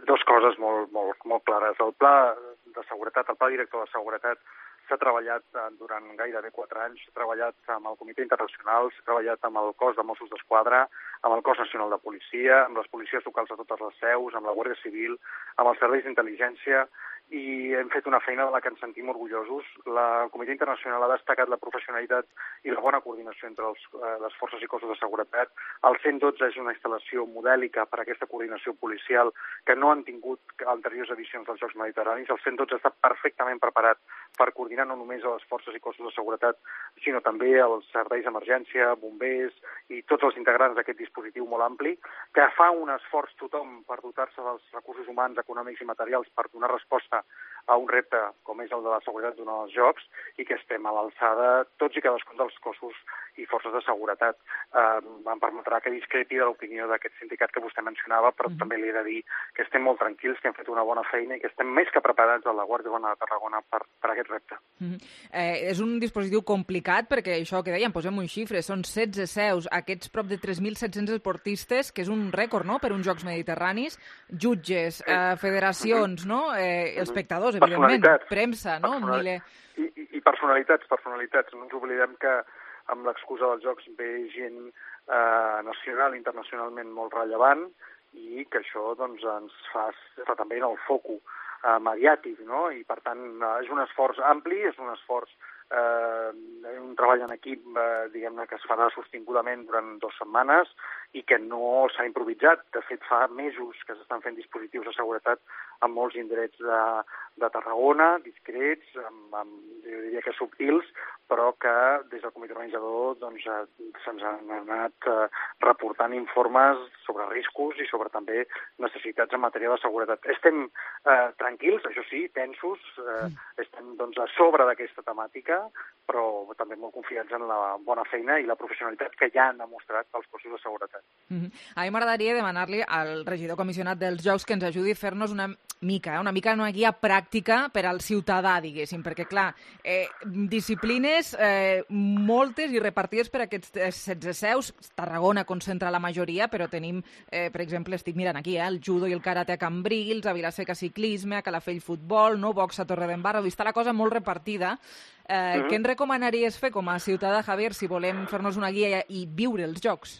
dues coses molt, molt, molt clares. El pla de seguretat, el pla director de seguretat s'ha treballat durant gairebé quatre anys, s'ha treballat amb el Comitè Internacional, s'ha treballat amb el cos de Mossos d'Esquadra, amb el cos nacional de policia, amb les policies locals de totes les seus, amb la Guàrdia Civil, amb els serveis d'intel·ligència, i hem fet una feina de la que ens sentim orgullosos. La, el Comitè Internacional ha destacat la professionalitat i la bona coordinació entre els, eh, les forces i cossos de seguretat. El cent dotze és una instal·lació modèlica per a aquesta coordinació policial que no han tingut anteriors edicions dels Jocs Mediterranis. El cent dotze està perfectament preparat per coordinar no només a les forces i cossos de seguretat, sinó també als serveis d'emergència, bombers i tots els integrants d'aquest dispositiu molt ampli, que fa un esforç tothom per dotar-se dels recursos humans, econòmics i materials per donar resposta a un repte com és el de la seguretat durant els Jocs, i que estem a l'alçada tots i cadascun dels cossos i forces de seguretat. Eh, em permetrà que discrepi de l'opinió d'aquest sindicat que vostè mencionava, però mm-hmm. també li he de dir que estem molt tranquils, que hem fet una bona feina i que estem més que preparats a la Guàrdia Urbana de Tarragona per, per aquest repte. Mm-hmm. eh, és un dispositiu complicat perquè això que dèiem, posem un xifre, són setze seus, aquests prop de tres mil set-cents esportistes, que és un rècord, no?, per uns Jocs Mediterranis, jutges, eh, federacions, mm-hmm. no?, eh, espectadors, evidentment, premsa, no? Personali... I, i, I personalitats, personalitats. No ens oblidem que amb l'excusa dels Jocs ve gent eh, nacional i internacionalment molt rellevant i que això doncs, ens fa estar també en el foco eh, mediàtic, no? I per tant eh, és un esforç ampli, és un esforç eh, un treball en equip, eh, diguem-ne, que es farà sostingudament durant dues setmanes i que no s'ha improvisat. De fet, fa mesos que s'estan fent dispositius de seguretat en molts indrets de, de Tarragona, discrets, amb, amb, jo diria que subtils, però que des del comitè organitzador doncs, eh, se'ns han anat eh, reportant informes sobre riscos i sobre també necessitats en matèria de seguretat. Estem eh, tranquils, això sí, tensos, eh, estem doncs, a sobre d'aquesta temàtica, però també molt confiats en la bona feina i la professionalitat que ja han demostrat els cossos de seguretat. Mm-hmm. A mi m'agradaria demanar-li al regidor comissionat dels Jocs que ens ajudi a fer-nos una mica, eh, una mica una guia pràctica per al ciutadà, diguéssim, perquè, clar, eh, disciplines eh, moltes i repartides per aquests setze seus. Tarragona concentra la majoria, però tenim, eh, per exemple, estic mirant aquí, eh, el judo i el karate a Cambrils, a Vilaseca ciclisme, a Calafell futbol, no? Box a Torredembarra, està la cosa molt repartida. Eh, mm-hmm. Què ens recomanaries fer com a ciutadà, Javier, si volem fer-nos una guia i viure els Jocs?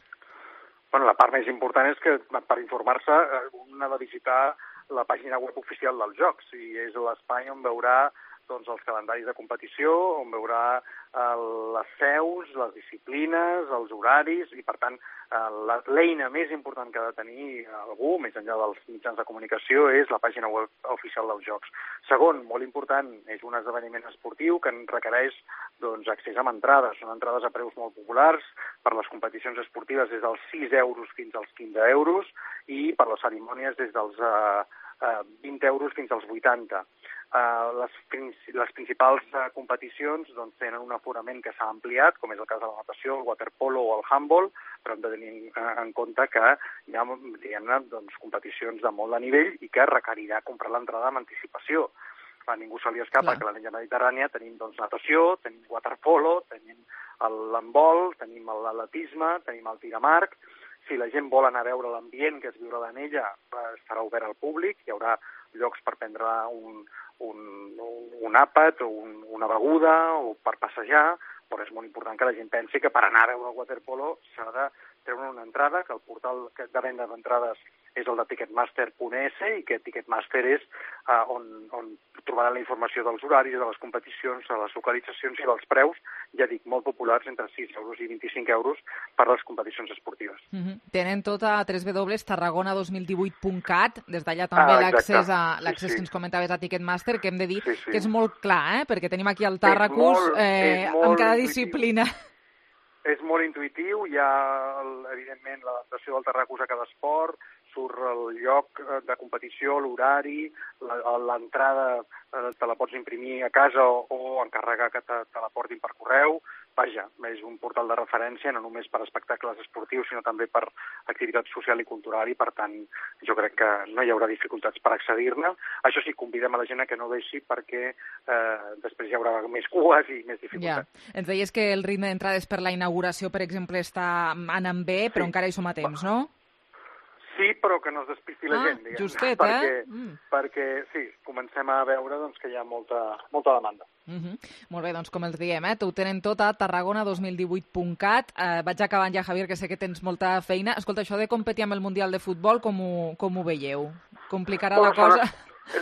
Bueno, la part més important és que per informar-se un ha de visitar la pàgina web oficial dels Jocs i és l'espai on veurà doncs, els calendaris de competició, on veurà eh, les seus, les disciplines, els horaris i, per tant, eh, l'eina més important que ha de tenir algú, més enllà dels mitjans de comunicació, és la pàgina web oficial dels Jocs. Segon, molt important, és un esdeveniment esportiu que requereix doncs, accés amb entrades. Són entrades a preus molt populars, per les competicions esportives des dels sis euros fins als quinze euros i per les cerimònies des dels eh, eh, vint euros fins als vuitanta. Uh, les, les principals uh, competicions doncs, tenen un aforament que s'ha ampliat, com és el cas de la natació, el waterpolo o el handball, però hem de tenir uh, en compte que hi ha diguem-ne, doncs, competicions de molt de nivell i que requerirà comprar l'entrada amb anticipació. A ningú se li escapa Clar. que a la Lliga Mediterrània tenim doncs, natació, tenim waterpolo, tenim l'handbol, tenim l'atletisme, tenim el tir amb arc. Si la gent vol anar a veure l'ambient que es viurà en ella, estarà obert al públic, hi haurà llocs per prendre un, un, un àpat o un, una beguda o per passejar, però és molt important que la gent pensi que per anar a veure el waterpolo s'ha de treure una entrada, que el portal de venda d'entrades és el de ticketmaster punt es i que Ticketmaster és uh, on, on trobaran la informació dels horaris, de les competicions, de les localitzacions i dels preus, ja dic, molt populars, entre sis euros i vint-i-cinc euros per a les competicions esportives. Mm-hmm. Tenen tot a w w w punt tarragona dos mil divuit punt cat, des d'allà també ah, l'accés a l'accés sí, sí. que ens comentaves a Ticketmaster, que hem de dir sí, sí. que és molt clar, eh? perquè tenim aquí el Tàrracus eh, amb cada intuitiu. disciplina. És molt intuïtiu, hi ha, evidentment, l'adaptació del Tàrracus a cada esport, surt el lloc de competició, l'horari, l'entrada te la pots imprimir a casa o, o encarregar que te, te la portin per correu. Vaja, és un portal de referència no només per espectacles esportius, sinó també per activitat social i cultural i, per tant, jo crec que no hi haurà dificultats per accedir-ne. Això sí, convidem a la gent a que no deixi perquè eh, després hi haurà més cues i més dificultats. Ja. Ens deies que el ritme d'entrades per la inauguració, per exemple, està anant bé, però sí. encara hi som a temps, no? Sí, però que no es despisti la ah, gent, diguem. Justet, perquè, eh? Mm. Perquè, sí, comencem a veure doncs, que hi ha molta, molta demanda. Mm-hmm. Molt bé, doncs com els diem, eh? Ho tenen tot a tarragona dos mil divuit punt cat. Eh, vaig acabant ja, Javier, que sé que tens molta feina. Escolta, això de competir amb el Mundial de Futbol, com ho, com ho veieu? Complicarà bueno, la cosa?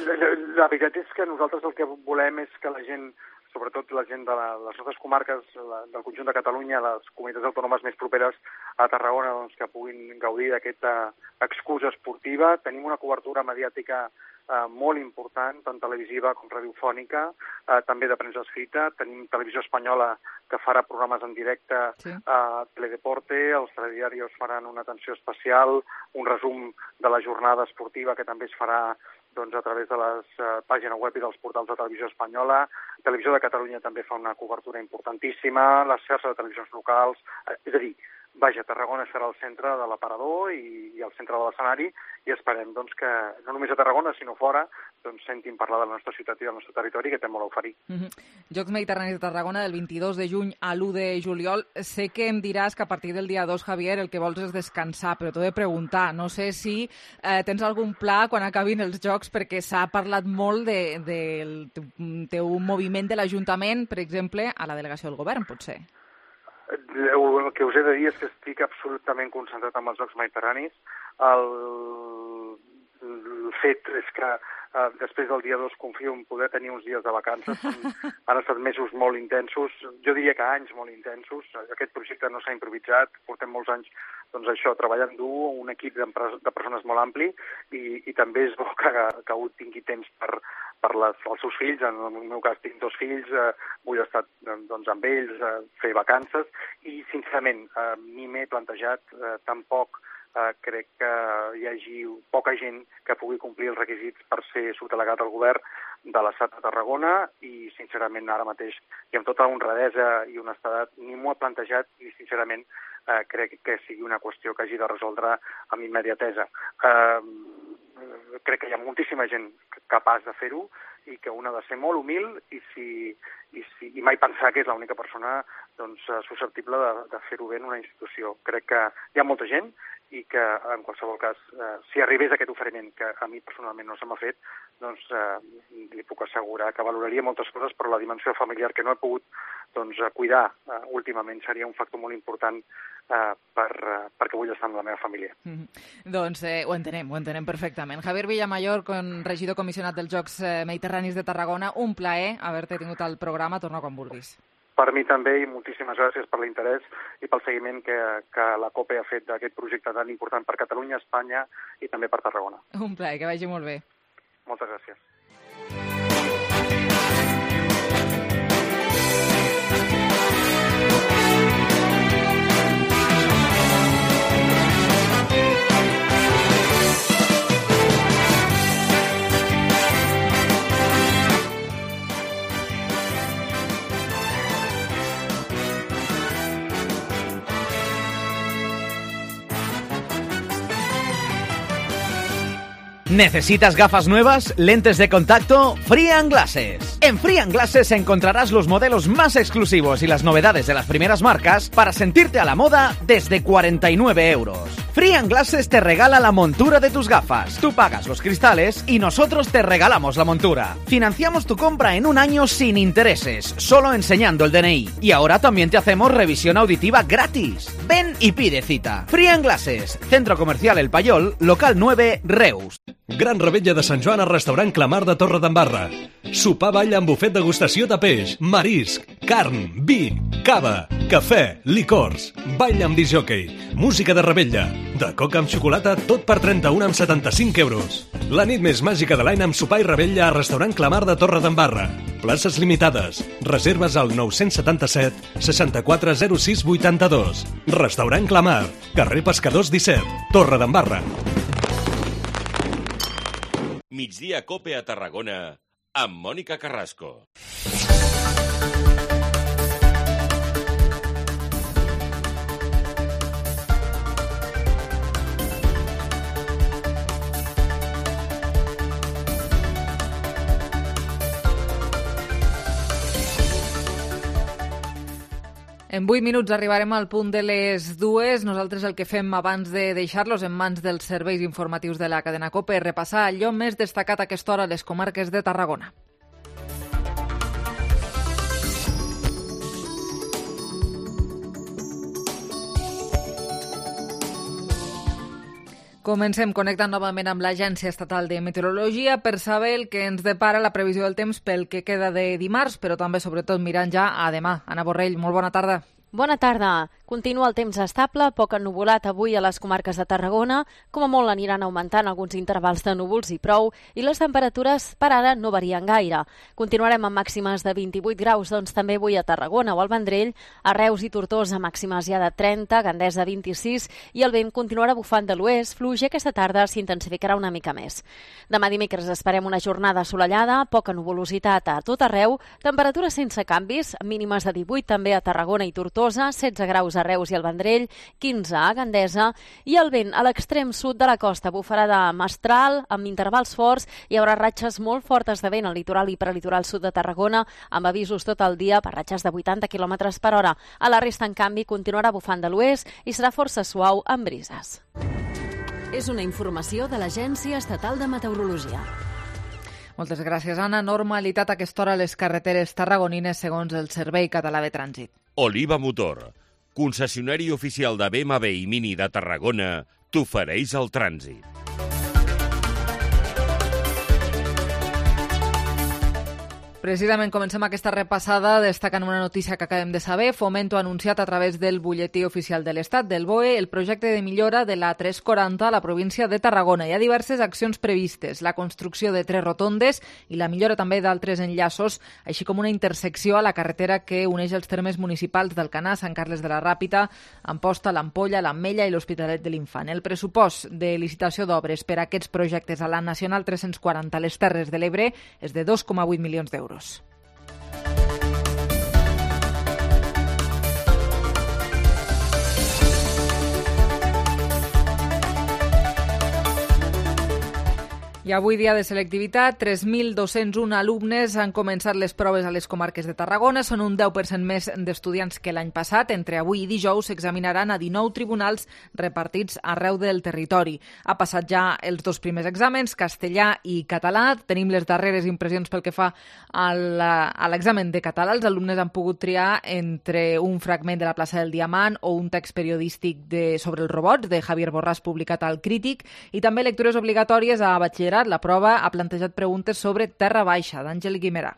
La, la, la veritat és que nosaltres el que volem és que la gent, sobretot la gent de la, les nostres comarques, la, del conjunt de Catalunya, les comunitats autònomes més properes a Tarragona, doncs, que puguin gaudir d'aquesta excusa esportiva. Tenim una cobertura mediàtica eh, molt important, tant televisiva com radiofònica, eh, també de premsa escrita. Tenim Televisió Espanyola que farà programes en directe sí. a Teledeporte, els telediarios faran una atenció especial, un resum de la jornada esportiva que també es farà doncs, a través de les uh, pàgines web i dels portals de Televisió Espanyola. Televisió de Catalunya també fa una cobertura importantíssima, les xarxes de televisions locals, eh, és a dir, vaja, Tarragona serà el centre de l'aparador i, i el centre de l'escenari i esperem doncs, que no només a Tarragona sinó fora doncs, sentin parlar de la nostra ciutat i del nostre territori que té molt a oferir. Mm-hmm. Jocs Mediterranis de Tarragona del vint-i-dos de juny a l'u de juliol. Sé que em diràs que a partir del dia dos, Javier, el que vols és descansar, però t'ho he de preguntar. No sé si eh, tens algun pla quan acabin els Jocs, perquè s'ha parlat molt de, de, del teu moviment de l'Ajuntament, per exemple, a la delegació del govern, potser. El que us he de dir és que estic absolutament concentrat en els Jocs Mediterranis. El, el fet és que Uh, després del dia dos confio en poder tenir uns dies de vacances. Han estat mesos molt intensos, jo diria que anys molt intensos. Aquest projecte no s'ha improvisat, portem molts anys doncs això, treballant dur, un equip de persones molt ampli i, i també és bo que, que un tingui temps per, per les, els seus fills. En el meu cas tinc dos fills, eh, vull estar doncs, amb ells, eh, fer vacances i sincerament eh, ni m'he plantejat eh, tampoc Uh, crec que hi hagi poca gent que pugui complir els requisits per ser subdelegat al govern de l'Estat de Tarragona i, sincerament, ara mateix, i amb tota honradesa i honestedat, ni m'ho he plantejat i, sincerament, uh, crec que sigui una qüestió que hagi de resoldre amb immediatesa. Uh, crec que hi ha moltíssima gent capaç de fer-ho i que un ha de ser molt humil i, si, i, si, i mai pensar que és l'única persona doncs, susceptible de, de fer-ho bé en una institució. Crec que hi ha molta gent i que, en qualsevol cas, eh, si arribés aquest oferiment, que a mi personalment no se m'ha fet, doncs eh, li puc assegurar que valoraria moltes coses, però la dimensió familiar que no he pogut doncs, cuidar eh, últimament seria un factor molt important eh, per, eh, perquè vull estar amb la meva família. Mm-hmm. Doncs eh, ho entenem, ho entenem perfectament. Javier Villamayor, con regidor comissionat dels Jocs Mediterranis de Tarragona, un plaer haver-te tingut al programa. Torna quan vulguis. Per mi també, i moltíssimes gràcies per l'interès i pel seguiment que, que la COPE ha fet d'aquest projecte tan important per Catalunya, Espanya i també per Tarragona. Un plaer, que vagi molt bé. Moltes gràcies. ¿Necesitas gafas nuevas? ¿Lentes de contacto? Free&. Glasses. En Free&. Glasses encontrarás los modelos más exclusivos y las novedades de las primeras marcas para sentirte a la moda desde cuarenta y nueve euros. Free&. Glasses te regala la montura de tus gafas. Tú pagas los cristales y nosotros te regalamos la montura. Financiamos tu compra en un año sin intereses, solo enseñando el D N I. Y ahora también te hacemos revisión auditiva gratis. Ven y pide cita. Free&. Glasses, Centro Comercial El Payol, local nueve, Reus. Gran revetlla de Sant Joan al restaurant Clamar de Torredembarra. Sopar ball amb bufet degustació de peix, marisc, carn, vi, cava, cafè, licors, ball amb discjòquei, música de revetlla, de coca amb xocolata, tot per trenta-un amb setanta-cinc euros. La nit més màgica de l'any amb sopar i revetlla al restaurant Clamar de Torredembarra. Places limitades. Reserves al nou setanta-set seixanta-quatre zero sis vuitanta-dos. Restaurant Clamar, carrer Pescadors disset, Torredembarra. Migdia Cope a Tarragona amb Mònica Carrasco. En vuit minuts arribarem al punt de les dues. Nosaltres el que fem abans de deixar-los en mans dels serveis informatius de la cadena COPE és repassar allò més destacat a aquesta hora a les comarques de Tarragona. Comencem connectant novament amb l'Agència Estatal de Meteorologia per saber el que ens depara la previsió del temps pel que queda de dimarts, però també, sobretot, mirant ja a demà. Anna Borrell, molt bona tarda. Bona tarda. Continua el temps estable, poc ennuvolat avui a les comarques de Tarragona. Com a molt aniran augmentant alguns intervals de núvols i prou, i les temperatures per ara no varien gaire. Continuarem amb màximes de vint-i-vuit graus, doncs també avui a Tarragona o al Vendrell, a Reus i Tortosa màximes ja de trenta, Gandesa vint-i-sis, i el vent continuarà bufant de l'oest, fluix, i aquesta tarda s'intensificarà una mica més. Demà dimecres esperem una jornada assolellada, poca nuvolositat a tot arreu, temperatures sense canvis, mínimes de divuit també a Tarragona i Tortosa, setze graus a Reus i al Vendrell, quinze a Gandesa, i el vent a l'extrem sud de la costa bufarà de mestral amb intervals forts. Hi haurà ratxes molt fortes de vent al litoral i prelitoral sud de Tarragona, amb avisos tot el dia per ratxes de vuitanta quilòmetres per hora. A la resta, en canvi, continuarà bufant de l'oest i serà força suau amb brises. És una informació de l'Agència Estatal de Meteorologia. Moltes gràcies, Anna. Normalitat a aquesta hora a les carreteres tarragonines segons el Servei Català de Trànsit. Oliva Motor, concessionari oficial de B M W i Mini de Tarragona, t'ofereix el trànsit. Precisament comencem aquesta repassada destacant una notícia que acabem de saber. Fomento ha anunciat a través del butlletí oficial de l'Estat, del B O E, el projecte de millora de la tres quaranta a la província de Tarragona. Hi ha diverses accions previstes, la construcció de tres rotondes i la millora també d'altres enllaços, així com una intersecció a la carretera que uneix els termes municipals d'Alcanar, Sant Carles de la Ràpita, Amposta, l'Ampolla, l'Ametlla i l'Hospitalet de l'Infant. El pressupost de licitació d'obres per a aquests projectes a la Nacional tres-cents quaranta a les Terres de l'Ebre és de dos coma vuit milions d'euros. I avui, dia de selectivitat, tres mil dos-cents un alumnes han començat les proves a les comarques de Tarragona. Són un deu per cent més d'estudiants que l'any passat. Entre avui i dijous s'examinaran a dinou tribunals repartits arreu del territori. Ha passat ja els dos primers exàmens, castellà i català. Tenim les darreres impressions pel que fa a l'examen de català. Els alumnes han pogut triar entre un fragment de la plaça del Diamant o un text periodístic de, sobre els robots de Javier Borràs publicat al Crític, i també lectures obligatòries a batxillerat. La prova ha plantejat preguntes sobre Terra Baixa, d'Àngel Guimerà.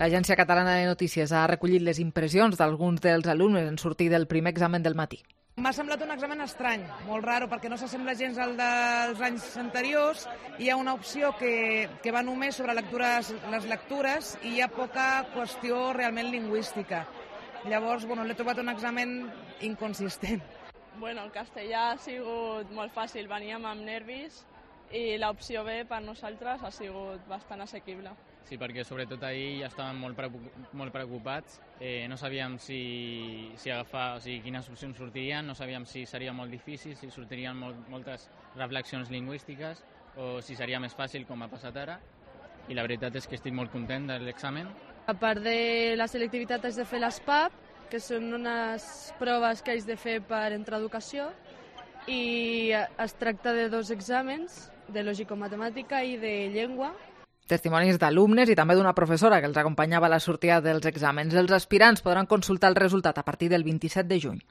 L'Agència Catalana de Notícies ha recollit les impressions d'alguns dels alumnes en sortir del primer examen del matí. M'ha semblat un examen estrany, molt raro, perquè no s'assembla gens al dels anys anteriors. Hi ha una opció que, que va només sobre lectures, les lectures, i hi ha poca qüestió realment lingüística. Llavors, bueno, l'he trobat un examen inconsistent. Bueno, el castellà ha sigut molt fàcil, veníem amb nervis i l'opció B per nosaltres ha sigut bastant assequible. Sí, perquè sobretot ahir ja estàvem molt, molt preocupats, eh, no sabíem si, si agafar, o sigui, quines opcions sortirien, no sabíem si seria molt difícil, si sortirien molt, moltes reflexions lingüístiques o si seria més fàcil com ha passat ara, i la veritat és que estic molt content de l'examen. A part de la selectivitat haig de fer les P A P, que són unes proves que haig de fer per entrar a educació, i es tracta de dos exàmens, de lògico-matemàtica i de llengua. Testimonis d'alumnes i també d'una professora que els acompanyava a la sortida dels exàmens. Els aspirants podran consultar el resultat a partir del vint-i-set de juny.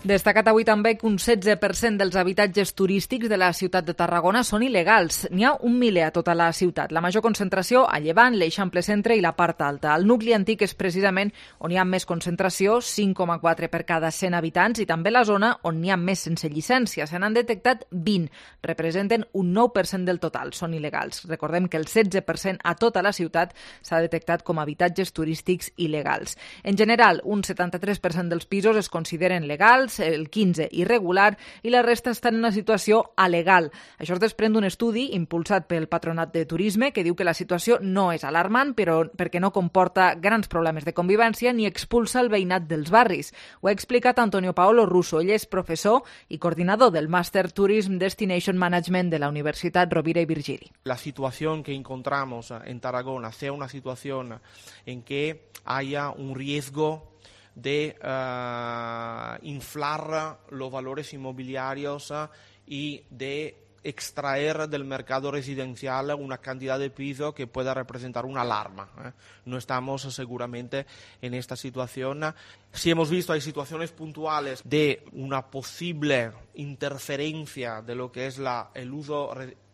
Destacat avui també que un setze per cent dels habitatges turístics de la ciutat de Tarragona són il·legals. N'hi ha un miler a tota la ciutat. La major concentració a Llevant, l'Eixample Centre i la part alta. El nucli antic és precisament on hi ha més concentració, cinc coma quatre per cada cent habitants, i també la zona on n'hi ha més sense llicència. Se n'han detectat vint. Representen un nou per cent del total. Són il·legals. Recordem que el setze per cent a tota la ciutat s'ha detectat com a habitatges turístics il·legals. En general, un setanta-tres per cent dels pisos es consideren legals, el quinze irregular i la resta estan en una situació alegal. Això es desprèn d'un estudi impulsat pel Patronat de Turisme que diu que la situació no és alarmant, però perquè no comporta grans problemes de convivència ni expulsa el veïnat dels barris. Ho ha explicat Antonio Paolo Russo. Ell és professor i coordinador del Master Tourism Destination Management de la Universitat Rovira i Virgili. La situación que encontramos en Tarragona sea una situación en que haya un riesgo de uh, inflar los valores inmobiliarios uh, y de extraer del mercado residencial una cantidad de piso que pueda representar una alarma. ¿eh? No estamos seguramente en esta situación. Si hemos visto, hay situaciones puntuales de una posible interferencia de lo que es la, el uso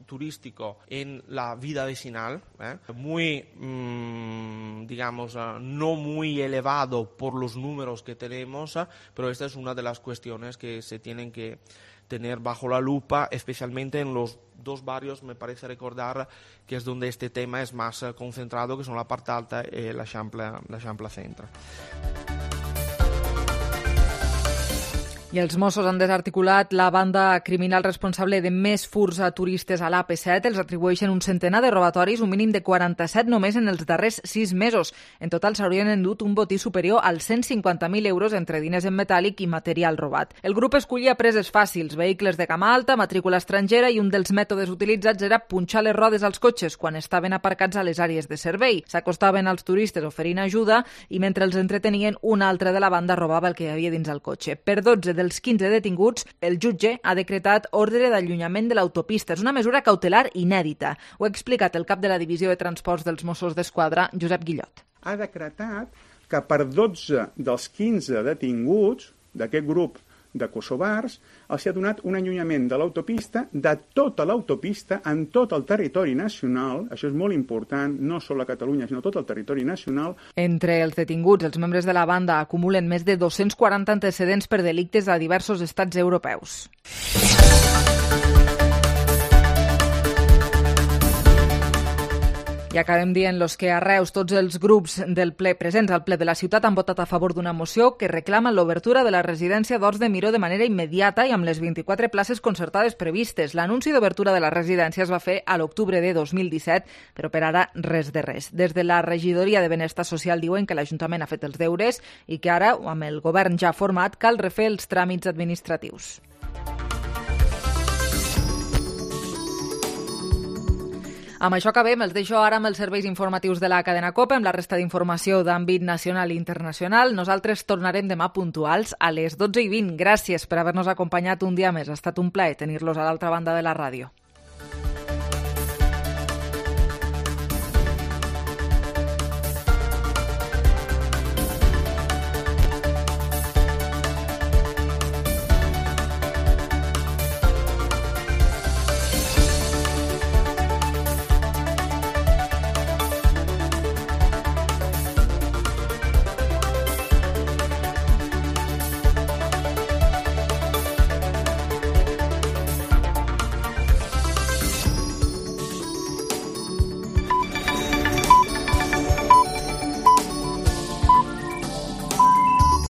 turístico en la vida vecinal, ¿eh? muy, mmm, digamos, uh, no muy elevado por los números que tenemos, uh, pero esta es una de las cuestiones que se tienen que tener bajo la lupa, especialmente en los dos barrios, me parece recordar, que es donde este tema es más uh, concentrado, que son la parte alta y la Eixample, la Eixample Centre. I els Mossos han desarticulat la banda criminal responsable de més furts a turistes a l'A P set. Els atribueixen un centenar de robatoris, un mínim de quaranta-set només en els darrers sis mesos. En total s'haurien endut un botí superior als cent cinquanta mil euros entre diners en metàl·lic i material robat. El grup escollia preses fàcils, vehicles de gamma alta, matrícula estrangera, i un dels mètodes utilitzats era punxar les rodes als cotxes quan estaven aparcats a les àrees de servei. S'acostaven als turistes oferint ajuda i mentre els entretenien, un altre de la banda robava el que hi havia dins el cotxe. Per dotze dels quinze detinguts, el jutge ha decretat ordre d'allunyament de l'autopista. És una mesura cautelar inèdita. Ho ha explicat el cap de la Divisió de Transports dels Mossos d'Esquadra, Josep Guillot. Ha decretat que per dotze dels quinze detinguts d'aquest grup de kosovars els ha donat un allunyament de l'autopista, de tota l'autopista, en tot el territori nacional, això és molt important, no sols a Catalunya, sinó tot el territori nacional. Entre els detinguts, els membres de la banda acumulen més de dos-cents quaranta antecedents per delictes a diversos estats europeus. I acabem dient los que a Reus tots els grups del ple presents al ple de la ciutat han votat a favor d'una moció que reclama l'obertura de la residència d'Horts de Miró de manera immediata i amb les vint-i-quatre places concertades previstes. L'anunci d'obertura de la residència es va fer a l'octubre de dos mil disset, però per ara res de res. Des de la regidoria de Benestar Social diuen que l'Ajuntament ha fet els deures i que ara, amb el govern ja format, cal refer els tràmits administratius. Amb això acabem, els deixo ara amb els serveis informatius de la cadena COPE, amb la resta d'informació d'àmbit nacional i internacional. Nosaltres tornarem demà puntuals a les dotze i vint. Gràcies per haver-nos acompanyat un dia més. Ha estat un plaer tenir-los a l'altra banda de la ràdio.